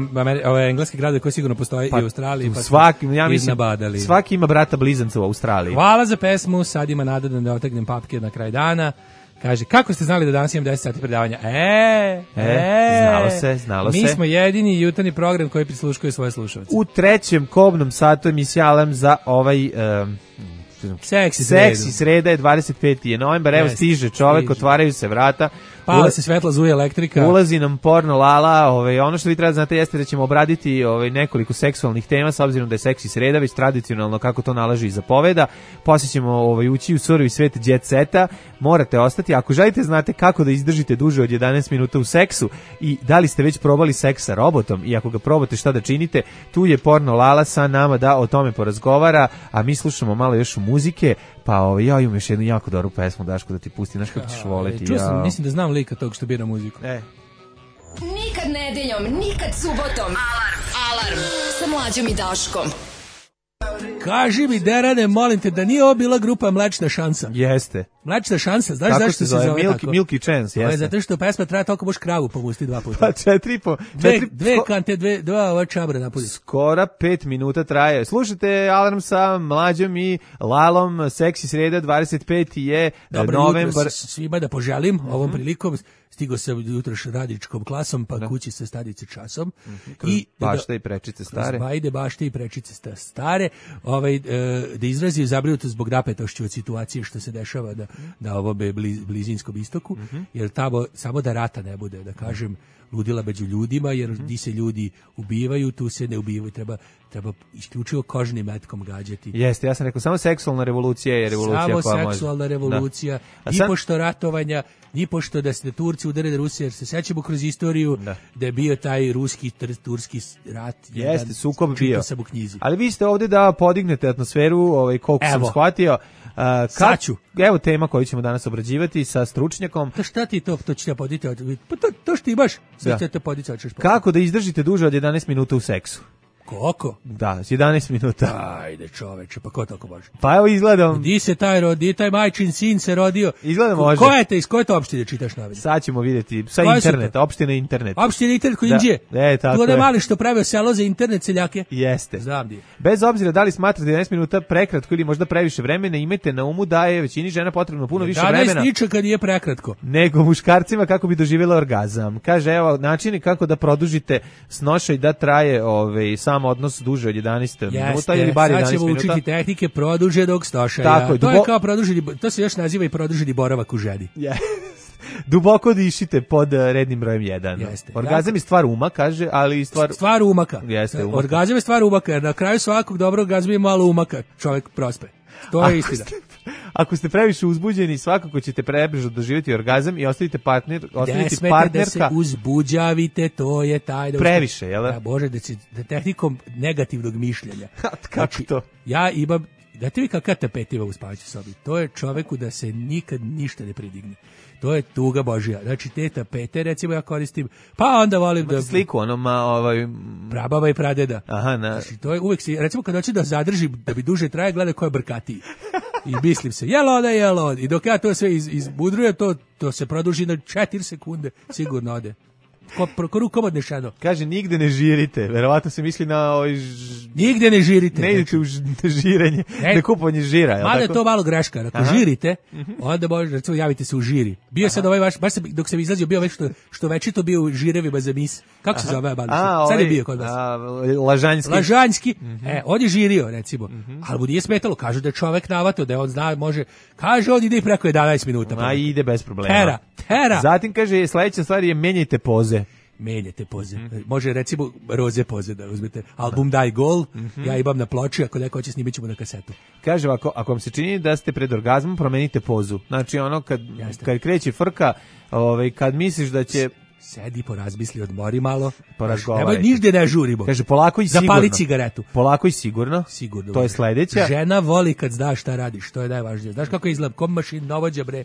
ove engleske grade koji sigurno postoje i u Australiji. Pa svaki ima brata blizanca u Australiji. Hvala za pesmu, sad ima nada da otegnem papke na kraj dana. Kaže, kako ste znali da danas imam 10 sati predavanja? Znalo se. Mi smo jedini jutarnji program koji prisluškuje svoje slušalce. U trećem kobnom satu emisija Alarm za ovaj... Seksi sreda je 25. novembar, evo stiže čovek, otvaraju se vrata. Pala se svetla, zuje elektrika. Ulazi nam porno lala, ono što vi treba znate jeste da ćemo obraditi nekoliko seksualnih tema, s obzirom da je seksi sreda, već tradicionalno kako to nalaže i zapoveda. Poslije ćemo ući u surovi svet jet seta, morate ostati. Ako želite znate kako da izdržite duže od 11 minuta u seksu i da li ste već probali seks sa robotom i ako ga probate šta da činite, tu je porno lala sa nama da o tome porazgovara, a mi slušamo malo još muzike. Pa ja imam još jednu jako dobru pesmu, Daško, da ti pusti, znaš kako ćeš voleti. Čuo sam, mislim da znam lika tog što bira muziku. Nikad nedeljom, nikad subotom. Alarm sa Mlađom i Daškom. Kaži mi, Derane, molim te, da nije ovo bila grupa Mlečna šansa? Jeste. Mlečna šansa, znaš zašto se zove tako? Milky Chance, jeste. Zato što pesma traje toliko boš kravu pomusti 2 puta. Pa 4,5. Dve kante, dva ova čabra napudi. Skoro 5 minuta traje. Slušajte Alarm sa Mlađom i Lalom, seksi sreda, 25. je novembar. Dobro jutro svima da poželim ovom prilikom. Stigo sam jutroš radičkom klasom, pa kući sa stadice časom. I bašte i prečice stare. Bajde, bašte i prečice stare. Da izrazio zabrinutost zbog napetošću od situacije što se dešava na ovom blizinskom istoku, jer tamo samo da rata ne bude, da kažem, ludila među ljudima, jer di se ljudi ubivaju, tu se ne ubivaju, treba isključivo kožnim metkom gađati. Jeste, ja sam rekao, samo seksualna revolucija je revolucija koja može. Samo seksualna revolucija, ni pošto ratovanja, ni pošto da se Turci udare da Rusija, jer se sećamo kroz istoriju da je bio taj turski rat. Jeste, sukob bio. Sam u knjizi. Ali vi ste ovdje da podignete atmosferu, koliko sam shvatio. Evo tema koju ćemo danas obrađivati sa stručnjakom. To šta ti to ću ja poditi? Pa to što ti baš te poditi. Kako da izdržite duže od 11 minuta u seksu? Koliko? Da, 11 minuta. Ajde čoveče, pa ko tako može? Pa evo izgledam. Di se taj majčin sin se rodio? Izgleda može. Iz koje to opštine čitaš novine? Sad ćemo vidjeti. Sa interneta, opština internet. Opština internet koji Inđije? Tako je. Tu da mali što pravio selo za internet seljake? Jeste. Znam di je. Bez obzira da li smatrate 11 minuta prekratko ili možda previše vremena, imajte na umu da je većini žena potrebno puno više vremena. 11 ničega nije prekratko. Nego muškarcima kako bi doživjela orgazam. Kaže, evo, načini kako da produžite snošaj da traje sam odnos duže od 11 minuta ili bar 11 minuta. Sad ćemo učiti tehnike produže dok stošaja. Tako je. To je kao to se još naziva i produženi boravak u ženi. Duboko dišite pod rednim brojem 1. Jeste. Orgazam je stvar uma, kaže, ali stvar umaka. Jeste, umaka. Orgazam je stvar umaka, jer na kraju svakog dobrog orgazma je malo umaka, čovjek prospe. To je istina. Ako ste previše uzbuđeni, svakako ćete prebrzo doživjeti orgazam i ostavite partnerka. Da se uzbuđavite, to je taj... Previše, jel da? Bože, da tehnikom negativnog mišljenja. Kako to? Ja imam... Da ti vi kakva tapetiva u spavaćoj sobi. To je čoveku da se nikad ništa ne pridigne. To je tuga Božija. Znači, te tapete, recimo, ja koristim, pa onda volim da... sliku, prababa i pradeda. Aha, znači, to je uvek recimo, kad hoće da zadrži, da bi duže traje, gleda ko je brkatiji. I mislim se, jel ode. I dok ja to sve izbudrujem, to se produži na 4 sekunde, sigurno ode. Ko rukom odnešeno. Kaže, nigde ne žirite. Verovatno se misli na nigde ne žirite. Ne idete u žirenje, na kupovanje žira. Mada je to malo greška. Ako žirite, onda može, recimo, javite se u žiri. Bio sad ovaj vaš, baš dok sam izlazio, bio već što večito bio u žirevima za mis. Kako se zove? Sad je bio kod vas. Lažanjski. On je žirio, recimo. Ali mu nije smetalo. Kažu da je čovek navato, da on zna, može. Kaže, on ide i preko 11 minuta. Ide bez problema. Tera. Zatim kaže, sledeća stvar je menjajte poze. Menjate poze. Može recimo roze poze da uzmete. Album Daj Gol, ja imam na ploči, ako neko hoće snimit ćemo na kasetu. Kaže, ako vam se čini da ste pred orgazmom, promenite pozu. Znači ono kad kreće frka, kad misliš da će... Sedi, porazmisli, odmori malo. Porazgovaraj. Nemoj nižde ne žurimo. Kaže, polako i sigurno. Zapali cigaretu. Polako i sigurno. Sigurno. To je sledeća. Žena voli kad znaš šta radiš, to je najvažnije. Znaš kako izgleda, kom mašin novođa, bre,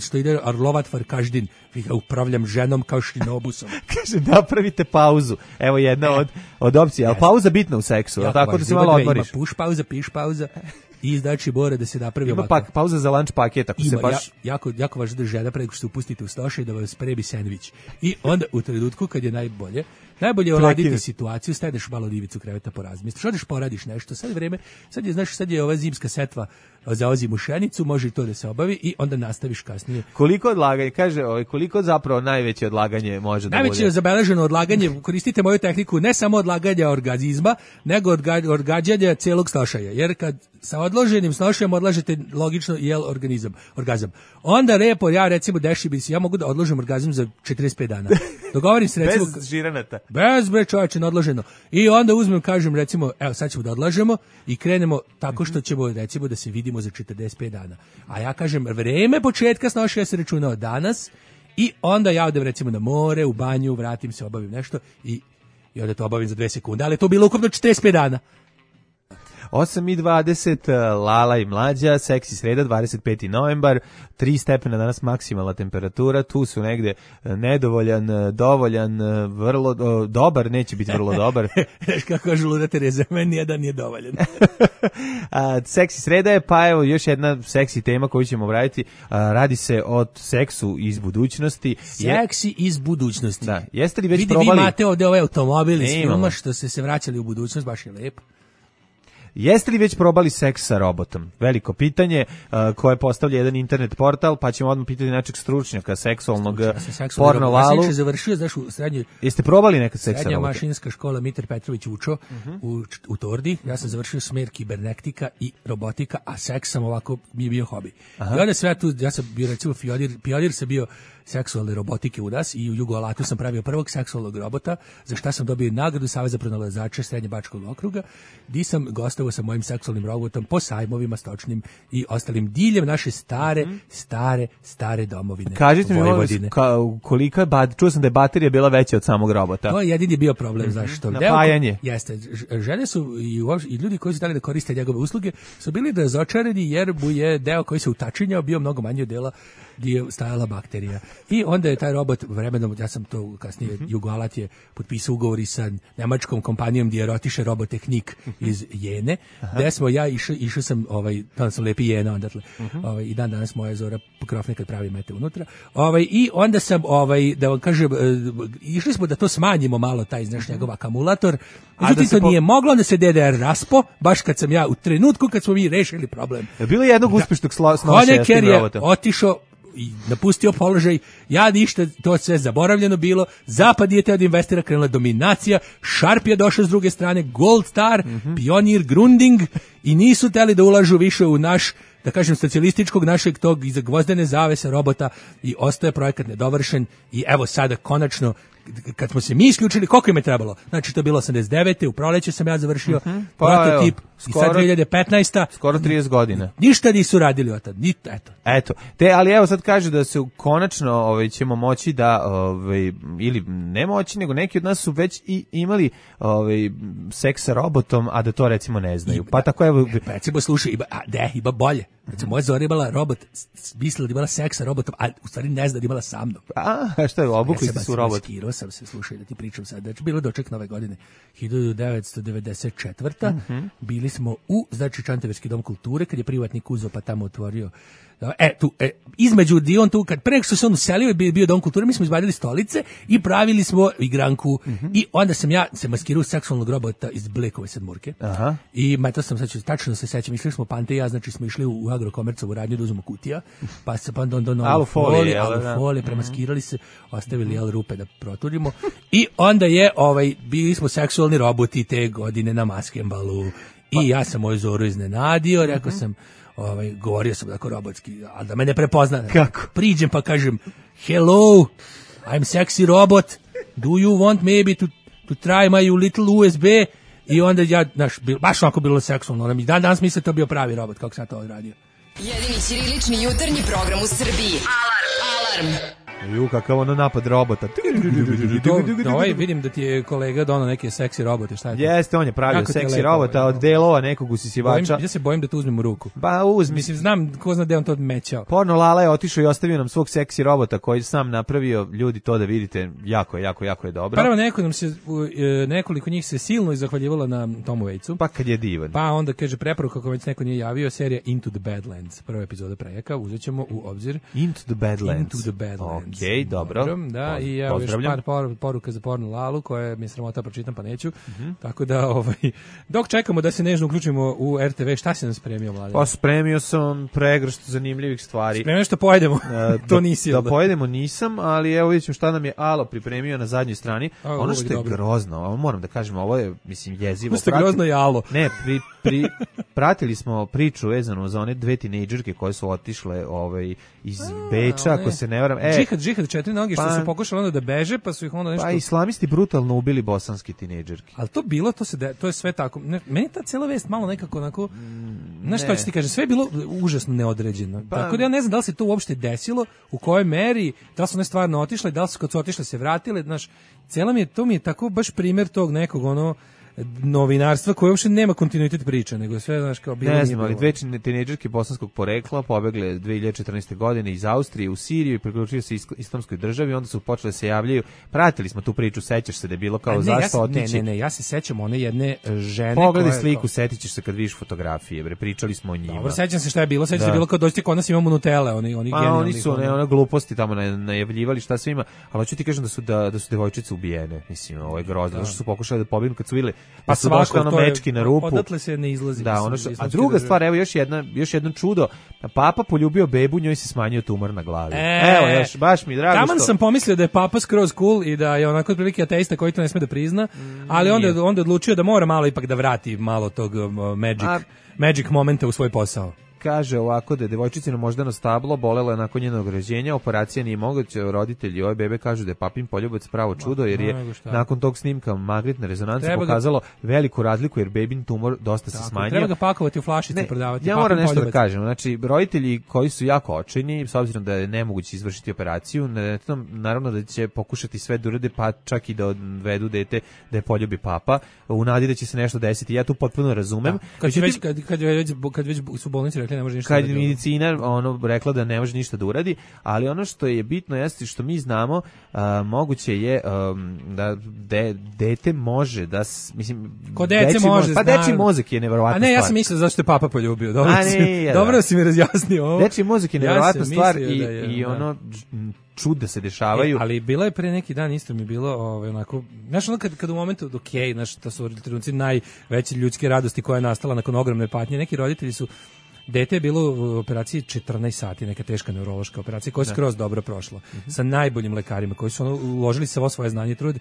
što ide arlovat každin. Ja upravljam ženom kao šinobusom. Kaže, napravite pauzu. Evo jedna od opcija, ali pauza bitna u seksu. Tako da se malo odmoriš. Push pauza, piš pauza. I znači mora da se napravi ovako. Ima pauza za lunch paket, ako se baš... Jako važno da žena pre nego što se upustite u stoše i da vam spremi sendvič. I onda u trenutku kad je najbolje uraditi situaciju, staveš malo divicu kreveta, porazmisliš, odeš poradiš nešto, sad je ova zimska setva za ozimu šenicu, može i to da se obavi i onda nastaviš kasnije. Koliko odlaganje, kaže, koliko zapravo najveće odlaganje može da bude? Najveće zabeleženo odlaganje, koristite moju tehniku, ne samo odlaganja orgazma, nego odgađanja celog snošaja, jer kad sa odloženim snošajem odlažete logično orgazam. Onda ja recimo ja mogu da odložim orgazam za 45 dana. Dogovorim se recimo... Bez žiranata. Bez bre čovječe, odloženo. I onda kažem recimo, evo sad ćemo da odlažemo i krenemo tako što ćemo recimo da se vidimo za 45 dana. A ja kažem, vreme početka snošaja se računa od danas i onda ja odem recimo na more, u banju, vratim se, obavim nešto i onda to obavim za 2 sekunde, ali je to bilo ukupno 45 dana. 8:20, Lala i Mlađa, seksi sreda, 25. novembar, 3 stepena danas maksimalna temperatura, tu su negde nedovoljan, dovoljan, vrlo dobar, neće biti vrlo dobar. Znaš kako žuluda Tereza, meni jedan je dovoljan. Seksi sreda je, pa evo još jedna seksi tema koju ćemo obraditi, radi se o seksu iz budućnosti. Seksi iz budućnosti. Da, jeste li već probali? Vi imate ovde ovaj automobil iz filma što ste se vraćali u budućnost, baš je lepo. Jeste li već probali seks sa robotom? Veliko pitanje koje postavlja jedan internet portal, pa ćemo odmah pitati našeg stručnjaka seksualnog porno Lalu. Ja sam završio, znaš, u srednjoj... Jeste probali nekad seks sa robotom? Srednja mašinska škola Mitar Petrović učo u Tordi. Ja sam završio smer kibernetika i robotika, a seks sam ovako mi je bio hobi. I onda sve tu, ja sam bio recimo pionir sam bio seksualne robotike u nas i u Jugoalatu sam pravio prvog seksualnog robota, za šta sam dobio nagradu Saveza pronalazača Srednjebačkog okruga, gdje sam gostovao sa mojim seksualnim robotom po sajmovima stočnim i ostalim diljem naše stare domovine. Kažite mi, koliko je čuo sam da je baterija bila veća od samog robota. To je jedini bio problem, zašto? Napajanje. Jeste, žene su i ljudi koji su dali da koriste njegove usluge su bili razočarani jer mu je deo koji se utačinjao bio mnogo manje od dela gdje je stajala bakterija. I onda je taj robot vremenom, ja sam to kasnije, Jugoalat je potpisao ugovor i sa nemačkom kompanijom gdje je rotiše robotehnik iz Jene, gdje smo išao sam, tada sam lepi Jena ondatle, i dan danas moja Zora Krofne kad pravi mete unutra, i onda sam, da vam kažem, išli smo da to smanjimo malo, taj, znaš, njegov akumulator, međutim to nije moglo, onda se DDR raspo, baš kad sam ja, u trenutku kad smo mi rešili problem. Bilo je jednog uspešnog snošaja s tim robotom. Otišao i napustio položaj, ja ništa, to sve zaboravljeno bilo, Zapad je teo da investira, krenula dominacija, Sharp je došao s druge strane, Gold Star, Pionir, Grunding i nisu teli da ulažu više u naš da kažem, socijalističkog našeg tog iza gvozdene zavese robota i ostaje projekat nedovršen i evo sada konačno kad smo se mi isključili, koliko im je trebalo? Znači, to je bilo 89. U proleće sam ja završio prototip i sad 2015. Skoro 30 godina. Ništa nisu radili od tad. Eto. Ali evo sad kaže da se konačno ćemo moći da, ili ne moći, nego neki od nas su već i imali seks sa robotom, a da to recimo ne znaju. Pa tako evo... Recimo, slušaj, ima bolje. Recimo, moja Zora imala robot, mislila da imala seks sa robotom, a u stvari ne zna da imala sa mnom. A što je, obukli ste su robot? Maskirao sam se, slušaj, da ti pričam sad. Znači, bilo doček nove godine, 1994. Bili smo u, znači, Čantaverski dom kulture, kad je privatnik uzeo pa tamo otvorio. Između Dion tu, kad pre što se on uselio, bio dom kulture, mi smo izbadili stolice i pravili smo igranku. I onda sam ja se maskirao seksualnog robota iz Blekove sedmurke. I to sam, sad tačno se sećam, išli smo Pante i ja, znači smo išli u Agrokomercovu radnju da uzmemo kutija, pa se pa alufolije, premaskirali se, ostavili rupe da proturimo. I onda je, bili smo seksualni roboti te godine na Maskembalu. I ja sam moju Zoru iznenadio, rekao sam, govorio sam tako robotski, ali da me ne prepozna. Kako? Priđem pa kažem, hello, I'm sexy robot, do you want maybe to try my little USB? I onda ja, baš onako bilo seksualno, ona mi danas misle to bio pravi robot, kako sam to odradio. Jedini ćirilični jutarnji program u Srbiji. Alarm! Kakav ono napad robota. Vidim da ti je kolega donao neke seksi robote, šta je to? Jeste, on je pravio seksi robota od delova nekog usisivača. Ja se bojim da to uzmem u ruku. Ba, uzmi. Mislim, znam ko zna gde on to odmećao. Porno Lala je otišao i ostavio nam svog seksi robota koji sam napravio, ljudi, to da vidite, jako je dobro. Prvo nekoliko njih se silno zahvaljivalo na Tomu Vejcu. Pa kad je divan. Pa onda kaže preporuka, kako već neko nije javio, serija Into the Badlands, prva epizoda Prejaka, uzet ćemo u obzir. Into the Badlands. Okej, dobro. Da, i evo još par poruka za Porno Lalu, koje mi je sramota pročitam, pa neću. Tako da, dok čekamo da se nežno uključimo u RTV, šta si nam spremio, Mladen? Pa spremio sam pregršt zanimljivih stvari. Spremio što pojedemo, to nisi. Da pojedemo nisam, ali evo vidjet ćemo šta nam je Alo pripremio na zadnjoj strani. Ono što je grozno, moram da kažem, ovo je, mislim, jezivo. Ono što je grozno je Alo. Ne, pratili smo priču vezanu za one dve tinejdžerke koje su otišle iz Beča, ako se ne varam. Džihad 4 noge što su pokušali onda da beže, pa su ih onda nešto... Pa islamisti brutalno ubili bosanski tinejdžerke. Ali to bilo, to je sve tako. Meni ta cela vest malo nekako onako... Znaš što ću ti kažem, sve je bilo užasno neodređeno. Tako da ja ne znam da li se to uopšte desilo, u kojoj meri, da li su one stvarno otišle, da li su kad su otišle se vratile, znaš, to mi je tako baš primjer tog nekog novinarstva koje uopšte nema kontinuitet priče, nego sve, znaš, kao bilo. Ne znam, ali dve tinejdžerke bosanskog porekla pobegle 2014. godine iz Austrije u Siriju i priključili se islamskoj državi, onda su počeli se javljaju. Pratili smo tu priču, sećaš se da je bilo kao zašto otići. Ne, ja se sećam one jedne žene. Pogledaj sliku, setićeš se kad vidiš fotografije, pričali smo o njima. Dobro, sećam se šta je bilo, sećam se bilo kao dođite kod nas imamo Nutelle, oni genijalni. Oni su one gluposti tamo najavljivali šta sve ima, ali hoću ti kažem da su devojčice ubijene, mislim, ovo je grozno, što su pokušali da pobegnu kad su videli pa su došli mečki na rupu. Odatle se ne izlazi. Da, a druga stvar, evo još jedno čudo. Papa poljubio bebu, njoj se smanjio tumor na glavi. Evo, baš mi drago Taman sam pomislio da je papa skroz cool i da je onako otprilike ateista koji to ne sme da prizna, ali onda odlučio da mora malo ipak da vrati malo tog magic momenta u svoj posao. Kaže ovako da je devojčicino moždano stablo bolela je nakon njenog rođenja, operacija nije moguća, roditelji ove bebe kažu da je papin poljubac pravo čudo, jer je nakon tog snimka magnetna rezonanca pokazalo veliku razliku, jer bebin tumor dosta se smanjio. Treba ga pakovati u flašice i prodavati. Ja moram nešto da kažem, znači roditelji koji su jako očajni, s obzirom da je nemoguće izvršiti operaciju, naravno da će pokušati sve da urade, pa čak i da odvedu dete da je poljubi papa, u nadi da će se nešto desiti. Ja tu potpuno razumem. Kad već su bolnice ne može ništa kad medicina rekla da ne može ništa da uradi, ali ono što je bitno jeste što mi znamo, moguće je da dete može da, mislim, kod dece može, pa dečiji mozak je neverovatna stvar. A ne, ja sam mislio zašto je papa poljubio. Dobro si mi razjasnio ovo. Dečiji mozak je neverovatna stvar i ono čuda se dešavaju. Ali bilo je pre neki dan, isto mi bilo onako, znaš, ono kad u momentu znaš, to su trenutci najveće ljudske radosti koja je nastala nakon ogromne patnje, neki roditelji su dete je bilo u operaciji 14 sati, neka teška neurološka operacija koja je skroz dobro prošla, sa najboljim lekarima koji su uložili svo svoje znanje i trud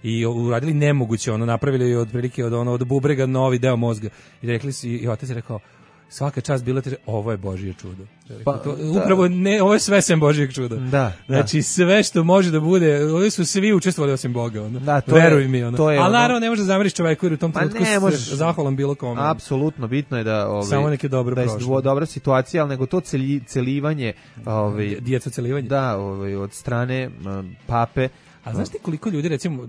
i uradili nemoguće, napravili otprilike od bubrega novi deo mozga i rekli su, i otac je rekao, svaka čast bila teže, ovo je Božje čudo. Upravo ne, ovo je sve sem Božjeg čuda. Znači sve što može da bude, ovi su svi učestvovali osim Boga. Veruj mi. Ali naravno ne može da zameriš čoveku jer u tom trenutku se zahvalan bilo kome. Apsolutno, bitno je da samo neke dobro prošlo. Dobra situacija, ali nego to celivanje. Djeca celivanje. Da, od strane pape. A znaš ti koliko ljudi, recimo,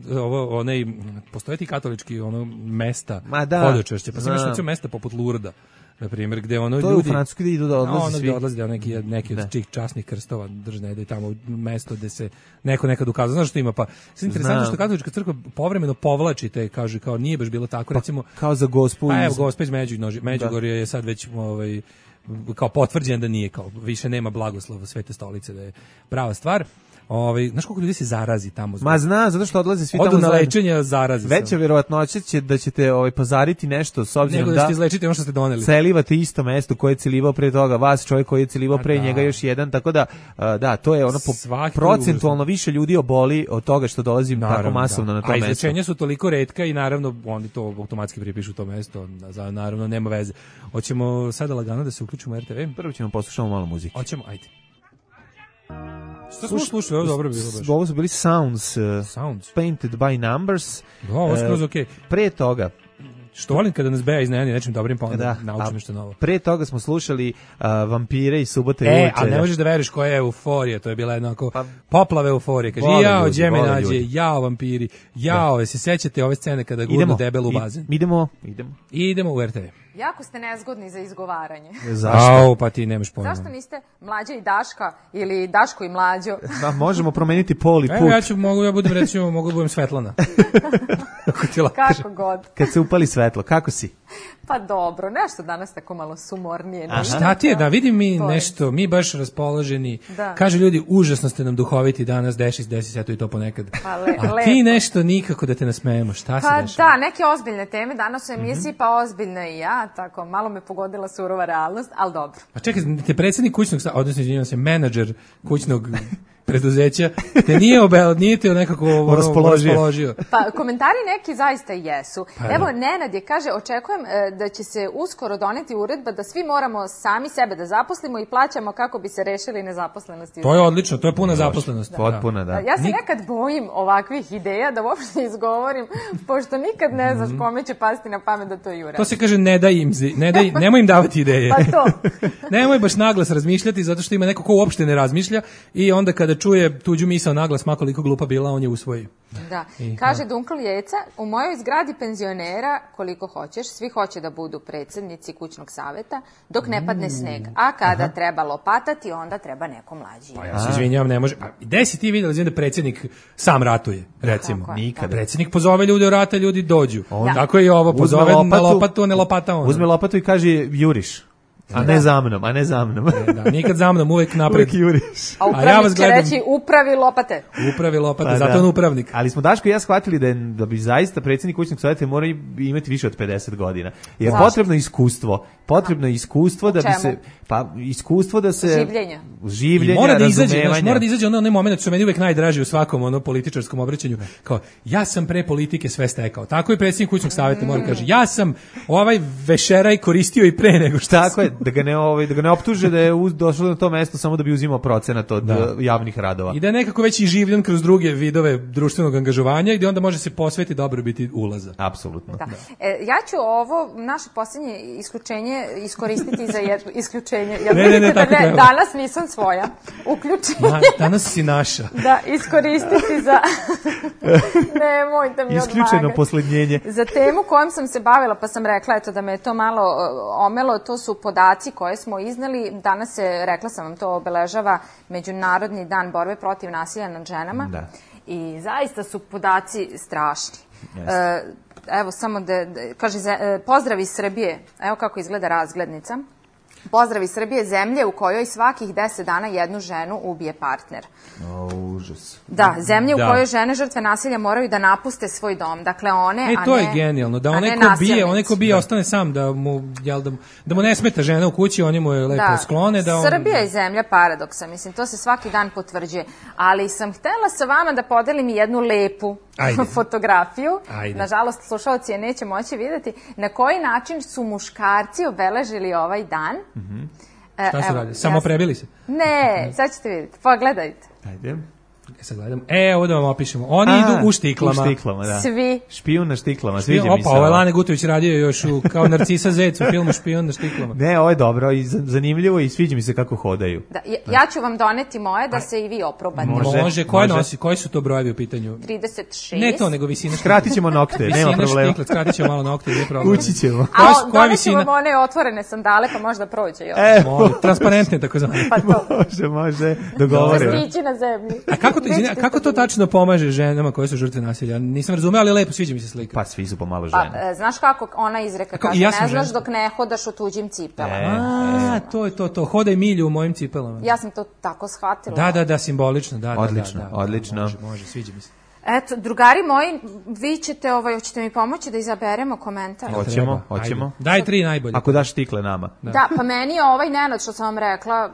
postoje ti katolički mesta hodočašće, pa sam još mesta poput Lurda, na primjer, gde ljudi... To je u Francuskoj gde idu da odlaze svi. Odlaze neki od tih časnih krstova držne, da je tamo mesto gde se neko nekad ukazao. Znaš što ima? Pa, sve interesantno što katolička crkva povremeno povlači te, kaže, kao nije baš bilo tako, recimo... Kao za Gospu Pa evo, Gospa iz Međugorja je sad već... kao potvrđen da nije, kao više nema blagoslova Svete stolice, da je prava stvar. Znaš koliko ljudi se zarazi tamo? Ma zna, zato što odlaze svi tamo odu na lečenje, zarazi se. Veća vjerovatnoća će da ćete pozariti nešto s obzirom da ćete izlečiti ono što ste doneli. Celivate isto mesto koje je celivao pre toga, vas čovjek koji je celivao pre njega još jedan, tako da da, to je ono procentualno više ljudi oboli od toga što dolazi tako masovno na to mesto. A izlečenja su toliko retka i naravno oni to automatski pripišu to mesto, naravno nema veze. Hoćemo sada lagano da se uključimo u RTV? Prvo ćemo poslušati malo muzike. Hoćemo, ajde. Što smo slušali, ovo dobro bilo baš. Ovo su bili Sounds. Painted by Numbers. Ovo skroz okej. Pre toga, što volim kada nas Beja iznenadi nečim dobrim, pa onda naučim nešto novo. Pre toga smo slušali Vampire i Subote i Uličelja. A ne možeš da veriš koja je euforija, to je bila jednako poplave euforije. Kaže, jao, gdje me nađe, jao, vampiri, jao, se sećate ove scene kada gurnu debelu u bazen? Idemo u RTV. Jako ste nezgodni za izgovaranje. Zašto? Pa ti nemaš pojma. Zašto niste Mlađa i Daška ili Daško i Mlađo? Da, možemo promeniti pol i put. Ja budem Svetlana. Kako god. Kad se upali svetlo, kako si? Pa dobro, nešto danas tako malo sumornije. A šta ti je, da vidim mi nešto, mi baš raspoloženi. Kažu ljudi, užasno ste nam duhoviti danas, desi se to i to ponekad. A ti nešto nikako da te nasmejemo, šta se dešava? Pa da, neke ozbiljne teme danas u emisiji, pa ozbiljna i ja, tako, malo me pogodila surova realnost, ali dobro. A čekaj, te predsjednik kućnog, odnosno izvinjavam se, menadžer kućnog preduzeća, te nije te nekako raspoložio. Pa komentari neki zaista jesu. Evo, Nenad je, kaže, očekujem da će se uskoro doneti uredba da svi moramo sami sebe da zaposlimo i plaćamo kako bi se rešili nezaposlenosti. To je odlično, to je puna zaposlenost. Potpuna, da. Ja se nekad bojim ovakvih ideja da uopšte izgovorim, pošto nikad ne znaš kome će pasti na pamet da to jure. To se kaže nemoj im davati ideje. Pa to. Nemoj baš naglas razmišljati, zato što ima neko ko uopšte ne razmišlja i onda kada čuje tuđu misao naglas, ma koliko glupa bila, on je usvoji. Da. Kaže Dunkl Jeca, u mojoj zgradi penzionera, koliko hoćeš, svi hoće da budu predsjednici kućnog saveta, dok ne padne sneg. A kada treba lopatati, onda treba neko mlađi. Pa ja se izvinjavam, ne može. Gde si ti vidjela da predsjednik sam ratuje, recimo? Nikada. Predsjednik pozove ljude u rata, ljudi dođu. Tako je i ovo, pozove na lopatu, a ne lopata on. Uzme lopatu i kaže juriš. A ne za mnom. Da, nikad za mnom, uvek napred. Uvek juriš. A upravnik će reći upravi lopate. Zato on upravnik. Ali smo Daško i ja shvatili da bi zaista predsjednik kućnog savjeta mora imati više od 50 godina. Jer potrebno iskustvo da bi se... Pa iskustvo da se... Življenja, razumevanja. Mora da izađe onaj moment što meni uvek najdraži u svakom političarskom obraćanju. Kao, ja sam pre politike sve stekao. Tako i predsjednik kućnog savjeta mora kaže, ja sam ovaj vešeraj koristio i pre nego što... Tako je, da ga ne optuže da je došao na to mesto samo da bi uzimao procenat od javnih radova. I da je nekako već i življen kroz druge vidove društvenog angažovanja i da onda može se posvetiti dobrobiti ulaza. Apsolutno. Da. Ja ću ovo naše posljednje isključenje iskoristiti za jedno isključenje. Danas nisam svoja. Uključenje. Danas si naša. Da, iskoristiti za... Nemojte mi odmagati. Isključeno posljednjenje. Za temu kojom sam se bavila, pa sam rekla da me je to malo omelo, to su podaci koje smo iznali. Danas se, rekla sam vam, to obeležava Međunarodni dan borbe protiv nasilja nad ženama. Da. I zaista su podaci strašni. Evo samo kaže, pozdrav iz Srbije. Evo kako izgleda razglednica. Pozdrav iz Srbije, zemlje u kojoj svakih 10 dana jednu ženu ubije partner. Užas. Da, zemlje u kojoj žene žrtve nasilja moraju da napuste svoj dom. Dakle, one, to je genijalno, da onaj ko bije ostane sam, da mu ne smeta žena u kući, oni mu je lepo sklone. Srbija je zemlja paradoksa, mislim, to se svaki dan potvrđuje. Ali sam htela sa vama da podelim jednu lepu fotografiju. Nažalost, slušalci je neće moći vidjeti. Na koji način su muškarci obeležili ovaj dan? Šta su radili? Samo prebili se? Ne, sad ćete vidjeti. Pogledajte. Ajde. Sad gledam. Ovo da vam opišemo. Oni idu u štiklama. U štiklama, da. Svi. Špijun na štiklama, sviđa mi se. Ovo je Lane Gutović radio još kao Narcisa Zec u filmu Špijun na štiklama. Ne, ovo je dobro i zanimljivo i sviđa mi se kako hodaju. Da, ja ću vam doneti moje da se i vi oprobate. Može. Koje nosi? Koji su to brojevi u pitanju? 36. Ne to, nego visina. Skratit ćemo nokte, nema problema. Štikle, skratit ćemo malo nokte, nije problem. Ući ćemo. Doneću vam one otvorene sandale, pa možda prođe još. Transparentne, tako zvane. Može, dogovoreno. Stići na zemlji. A kako to tačno pomaže ženama koje su žrtve nasilja? Nisam razumeo, ali lepo, sviđa mi se slika. Pa svi su pomalo žene. Pa, znaš kako ona izreka kaže, ne znaš dok ne hodaš u tuđim cipelama. To je to. Hodaj milju u mojim cipelama. Ja sam to tako shvatila. Da, simbolično. Odlično. Može, sviđa mi se. Eto, drugari moji, vi ćete, hoćete mi pomoći da izaberemo komentar? Hoćemo. Daj 3 najbolje. Ako daš štikle nama. Da, pa meni je ovaj Nenad što sam vam rekla,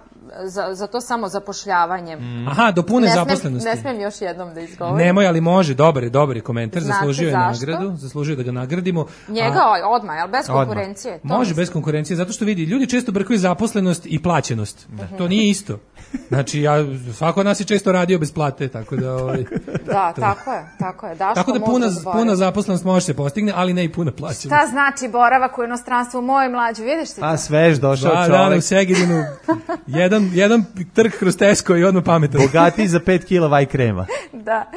za to samo zapošljavanje. Aha, do pune zaposlenosti. Ne smijem još jednom da izgovorim. Nemoj, ali može, dobar je komentar, zaslužio je nagradu, zaslužio da ga nagradimo. Njega odmah, ali bez konkurencije. Može bez konkurencije, zato što vidi, ljudi često brkaju zaposlenost i plaćenost. To nije isto. Znači, svako od nas je često radio bez plate, tako da... Da, tako je. Tako da puna zaposlenost može se postigne, ali ne i puna plaćenost. Šta znači boravak u inostranstvu u mojoj mlađi, vidiš ti to? A svež došao čovjek. Da, u Segedinu, jedan trg kroz Tesco i odmah pametan. Bogatiji za 5 kila vaj krema. Da,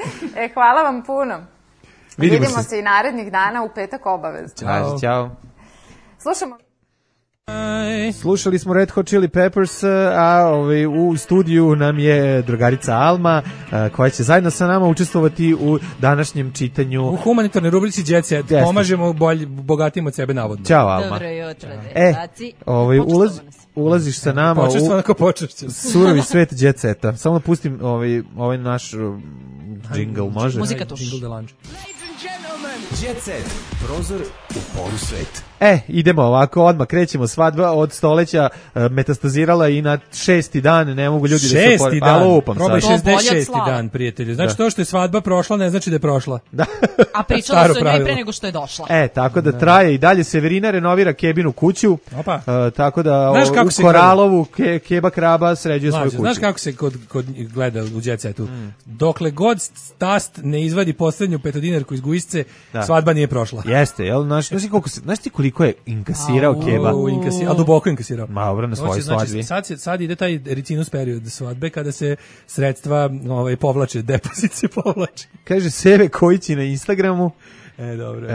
hvala vam puno. Vidimo se i narednih dana u petak obavezno. Ćao. Slušali smo Red Hot Chili Peppers, a u studiju nam je drugarica Alma, koja će zajedno sa nama učestvovati u današnjem čitanju. U humanitarnoj rubrici Jet Set. Pomažemo bogatim od sebe navodno. Ćao, Alma. Dobro jutro, dečaci. Ulaziš sa nama u surovi svet Jet Seta. Samo da pustim ovaj naš džingl, može? Muzika tuš. Jet Set, prozor u poru sveta. Idemo ovako, odmah krećemo, svadba od stoleća metastazirala i na 6. dan, ne mogu ljudi da se opori. Probaj 66. dan, prijatelju. Znači to što je svadba prošla, ne znači da je prošla. Da. A pričalo se o njoj pre nego što je došla. Tako da traje i dalje. Severina renovira Kebinu kuću, tako da u Koralovu Keba Kraba sređuje svoju kuću. Znaš kako se kod gleda u Jet Setu? Dokle god tast ne izvadi poslednju petodinarku iz gujsce, svadba nije prošla. Jeste, jel? Znaš ti koliko je inkasirao Keba? A duboko inkasirao. Dobro, na svojoj svadbi. Sad ide taj ricinus period svadbe kada se sredstva povlače, depozit se povlače. Kaže Seve Kojići na Instagramu. Dobro.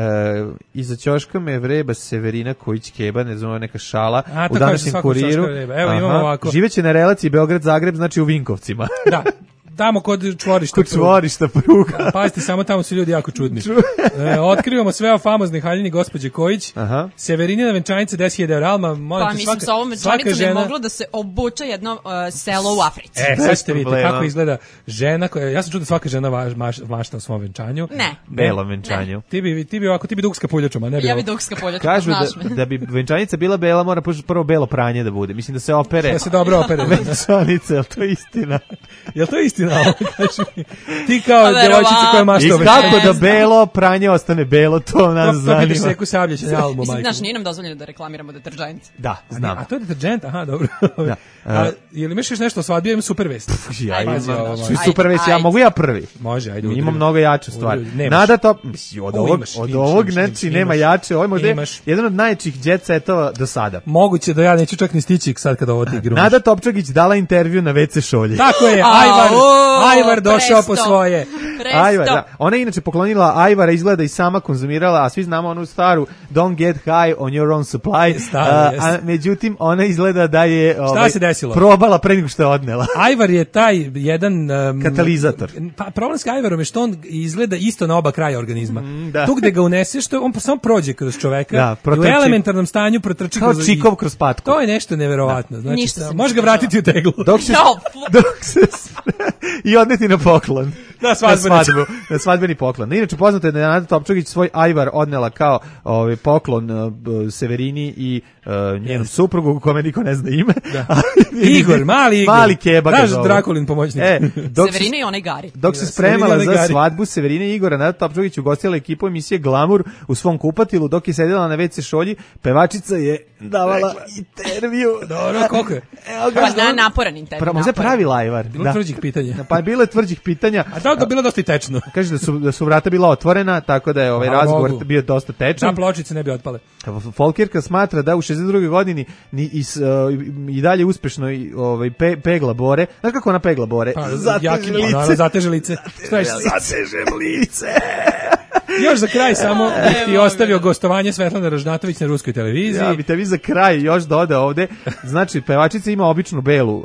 Iza ćoška me vreba Severina Kojić-Keba, ne znam, neka šala u današnjem kuriru. Evo imamo ovako. Živeće na relaciji Beograd-Zagreb, znači u Vinkovcima. Da. Tamo kod čvorišta pruga. Pazite, samo tamo su ljudi jako čudni. Otkrivamo sve o famoznoj haljini gospođe Kojić. Severinina venčanica 10.000 € Alma. Pa mislim, sa ovom venčanicom je moglo da se obuče jedno selo u Africi. Sad ćete vidjeti kako izgleda žena koja, ja sam čuo da svaka žena mašta o svom venčanju. Ne. Belom venčanju. Ti bi dukska puljačom, a ne bela. Ja bi dukska puljačom, kažu da bi venčanica bila bela, mora prvo belo pranje da bude. Mislim da se opere. Da se dobro opere. Venčanica, je li to istina? Je li to istina? Ti kao djevojčica koja mašta o venčanju. Kako da belo pranje ostane belo, to nas zanima. To vidiš neku Sabljića na Almu, majku. Znaš, nije nam dozvoljeno da reklamiramo deterđent. Da, znam. A to je deterđent? Aha, dobro. Je li misliš nešto o svadbi? Imam super vest. Super vest, ja mogu ja prvi. Može, ajde. Imam mnogo jače stvari. Nada top, od ovog znači nema jače, ovo je možda jedan od najjačih jet setova do sada. Moguće da ja neću čak ni stići sad kada ovo ti grumiš. Nada Topčagić dala intervju na WC šolji. Tako je, Ajvar došao po svoje. Ajvar, da. Ona je inače poklonila Ajvara, izgleda i sama konzumirala, a svi znamo onu staru Don't get high on your own supply. A međutim, ona izgleda da je probala pre nego što je odnela. Ajvar je taj jedan katalizator. Pa problem s Ajvarom je što on izgleda isto na oba kraja organizma. Tu gde ga uneseš, on samo prođe kroz čoveka i u elementarnom stanju protrči kao čikov kroz patku. To je nešto neverovatno. Znači, možeš ga vratiti u teglu. Dok se i odneti na poklon. na svadbeni poklon. Inače, poznato je da je Nada Topčagić svoj ajvar odnela kao poklon Severini i njenom suprugu, kome niko ne zna ime. Igor, mali Igor. Mali Keba. Naš Drakulin pomoćnik. Severina i onaj Gari. Dok se spremala za svadbu Severine i Igora, Nada Topčagić ugostila ekipu emisije Glamour u svom kupatilu, dok je sedela na WC šolji, pevačica je davala intervju. Dobro, koliko je? Naporan intervju. Možda je pravi lajvar. Bilo tvrđih pitanja. Pa bilo je tvrđih pitanja. A da bilo dosta tečno. Kaže da su vrata bila otvorena, tako da je ovaj razgovor bio dosta tečan. Da pločice ne bi otpale. Folkirka smatra da u 62. godini i dalje uspešno pegla bore. Znaš kako ona pegla bore? Zateže lice. Zatežem lice. Još za kraj samo bih ti ostavio gostovanje Svetlane Ražnatović na ruskoj televiziji. Ja bi te vi za kraj još dodao ovde. Znači, pevačica ima običnu belu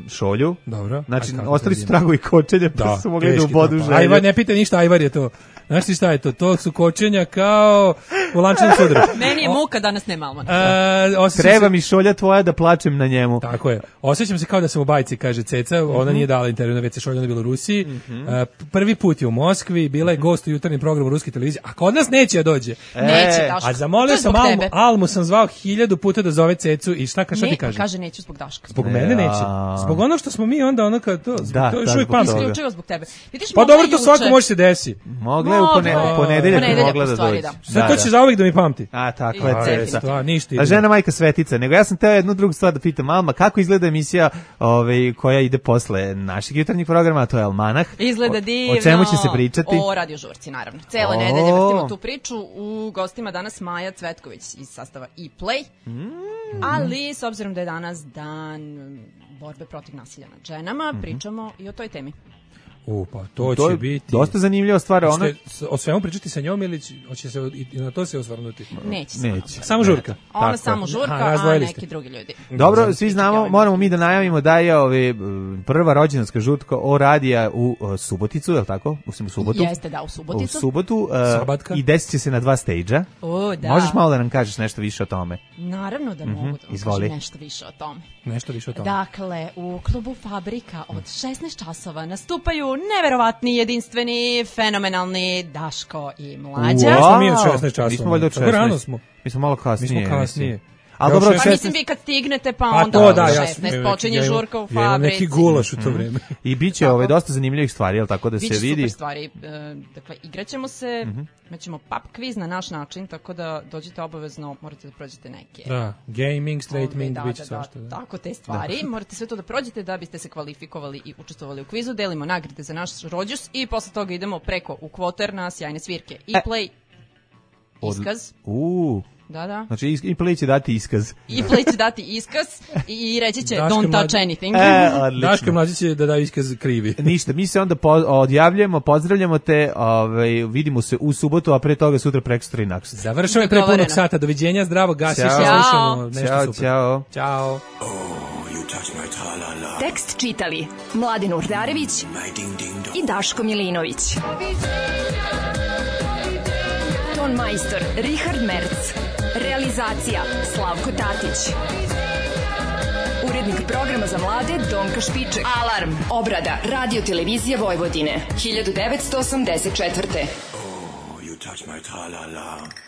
šolju. Dobro. Znači, ostali su tragovi kočenja, pa su mogli da u bodu želje. Ajvar, ne pita ništa, ajvar je to. Znaš ti šta je to? To su kočenja kao u lančanom sudaru. Meni je muka, danas nema Almana. Treba mi šolja tvoja da plačem na njemu. Tako je. Osjećam se kao da sam u bajci, kaže Ceca. Ona nije dala intervju na WC šolju, ona je bila u Rusiji. Prvi put je u Moskvi, bila je gost u jutarnjem programu ruske televizije. A kod nas neće da dođe. Neće, Daško. A zamolio sam Almu sam zvao 1000 puta da zove Cecu i šta ti kaže? Kaže neću zbog Daška. Zbog mene neće. Zbog ono što smo mi onda ono kao to. To je šuj pameti. Isključivo zbog tebe. Pa dobro, to svako može se desi. Mogla je u ponedeljak mogla da dođe. Sad to će zauvijek da mi pamti. A, tako je Ceca. Ništa. A žena majka Svetica. Nego ja sam teo jednu drugu stvar da pitam, Alma, kako izgleda emisija koja ide posle našeg jutarnjeg programa, a to je Almanah. Izgleda divno. O čemu će se pričati? O Radio Žurci, naravno. Cele nedelje vrtimo tu priču. U gostima danas Maja Cvetković iz sastava E-Play. Ali, s obzirom da je danas dan borbe protiv nasilja nad ženama, pričamo i o toj temi. Pa to će biti dosta zanimljiva stvar. O svemu pričati sa njom ili hoće se i na to se osvrnuti? Neće. Samo žurka. Ona samo žurka, a neki drugi ljudi. Dobro, svi znamo, moramo mi da najavimo da je prva rođendanska žurka o radija u Suboticu, je li tako? U subotu. Jeste, da, u Suboticu. U subotu i desit će se na 2 stage-a. Da. Možeš malo da nam kažeš nešto više o tome? Naravno da mogu da vam kažem nešto više o tome. Nešto više o tome. Dakle, u klubu Fabrika od 16 časova nastupaju neverovatni, jedinstveni, fenomenalni Daško i Mlađa. Wow. Mi od 16 časova. Mi smo valjda od 16. Rano smo. Mi smo malo kasnije. Ali dobro, pa mislim vi kad stignete pa onda od 16 počinje žurka u Fabrici. Ja imam neki gulaš u to vreme. I bit će dosta zanimljivih stvari, jel tako da se vidi? Biće super stvari. Dakle, igraćemo se, imaćemo pub quiz na naš način, tako da dođete obavezno, morate da prođete neke. Da, gaming, straightening, biće svašta. Tako te stvari. Morate sve to da prođete da biste se kvalifikovali i učestvovali u kvizu. Delimo nagrade za naš rođus i posle toga idemo preko u kvoter na sjajne svirke. E-Play, iskaz. Da. Znači, E-Play će dati iskaz. E-Play će dati iskaz i reći će don't touch anything. Daško Mlađa će da daju iskaz krivi. Ništa, mi se onda odjavljujemo, pozdravljamo te, vidimo se u subotu, a pre toga sutra prekosutra i naksutra. Završamo je pre punog sata, doviđenja, zdravo, gasi se, slušamo nešto super. Ćao. Tekst čitali Mladin Urdarević i Daško Milinović. Ton majstor Richard Merc. Realizacija Slavko Tatić. Urednik programa za mlade Donka Špiček. Alarm. Obrada Radio Televizije Vojvodine 1984. Oh, you touch my tra-la-la.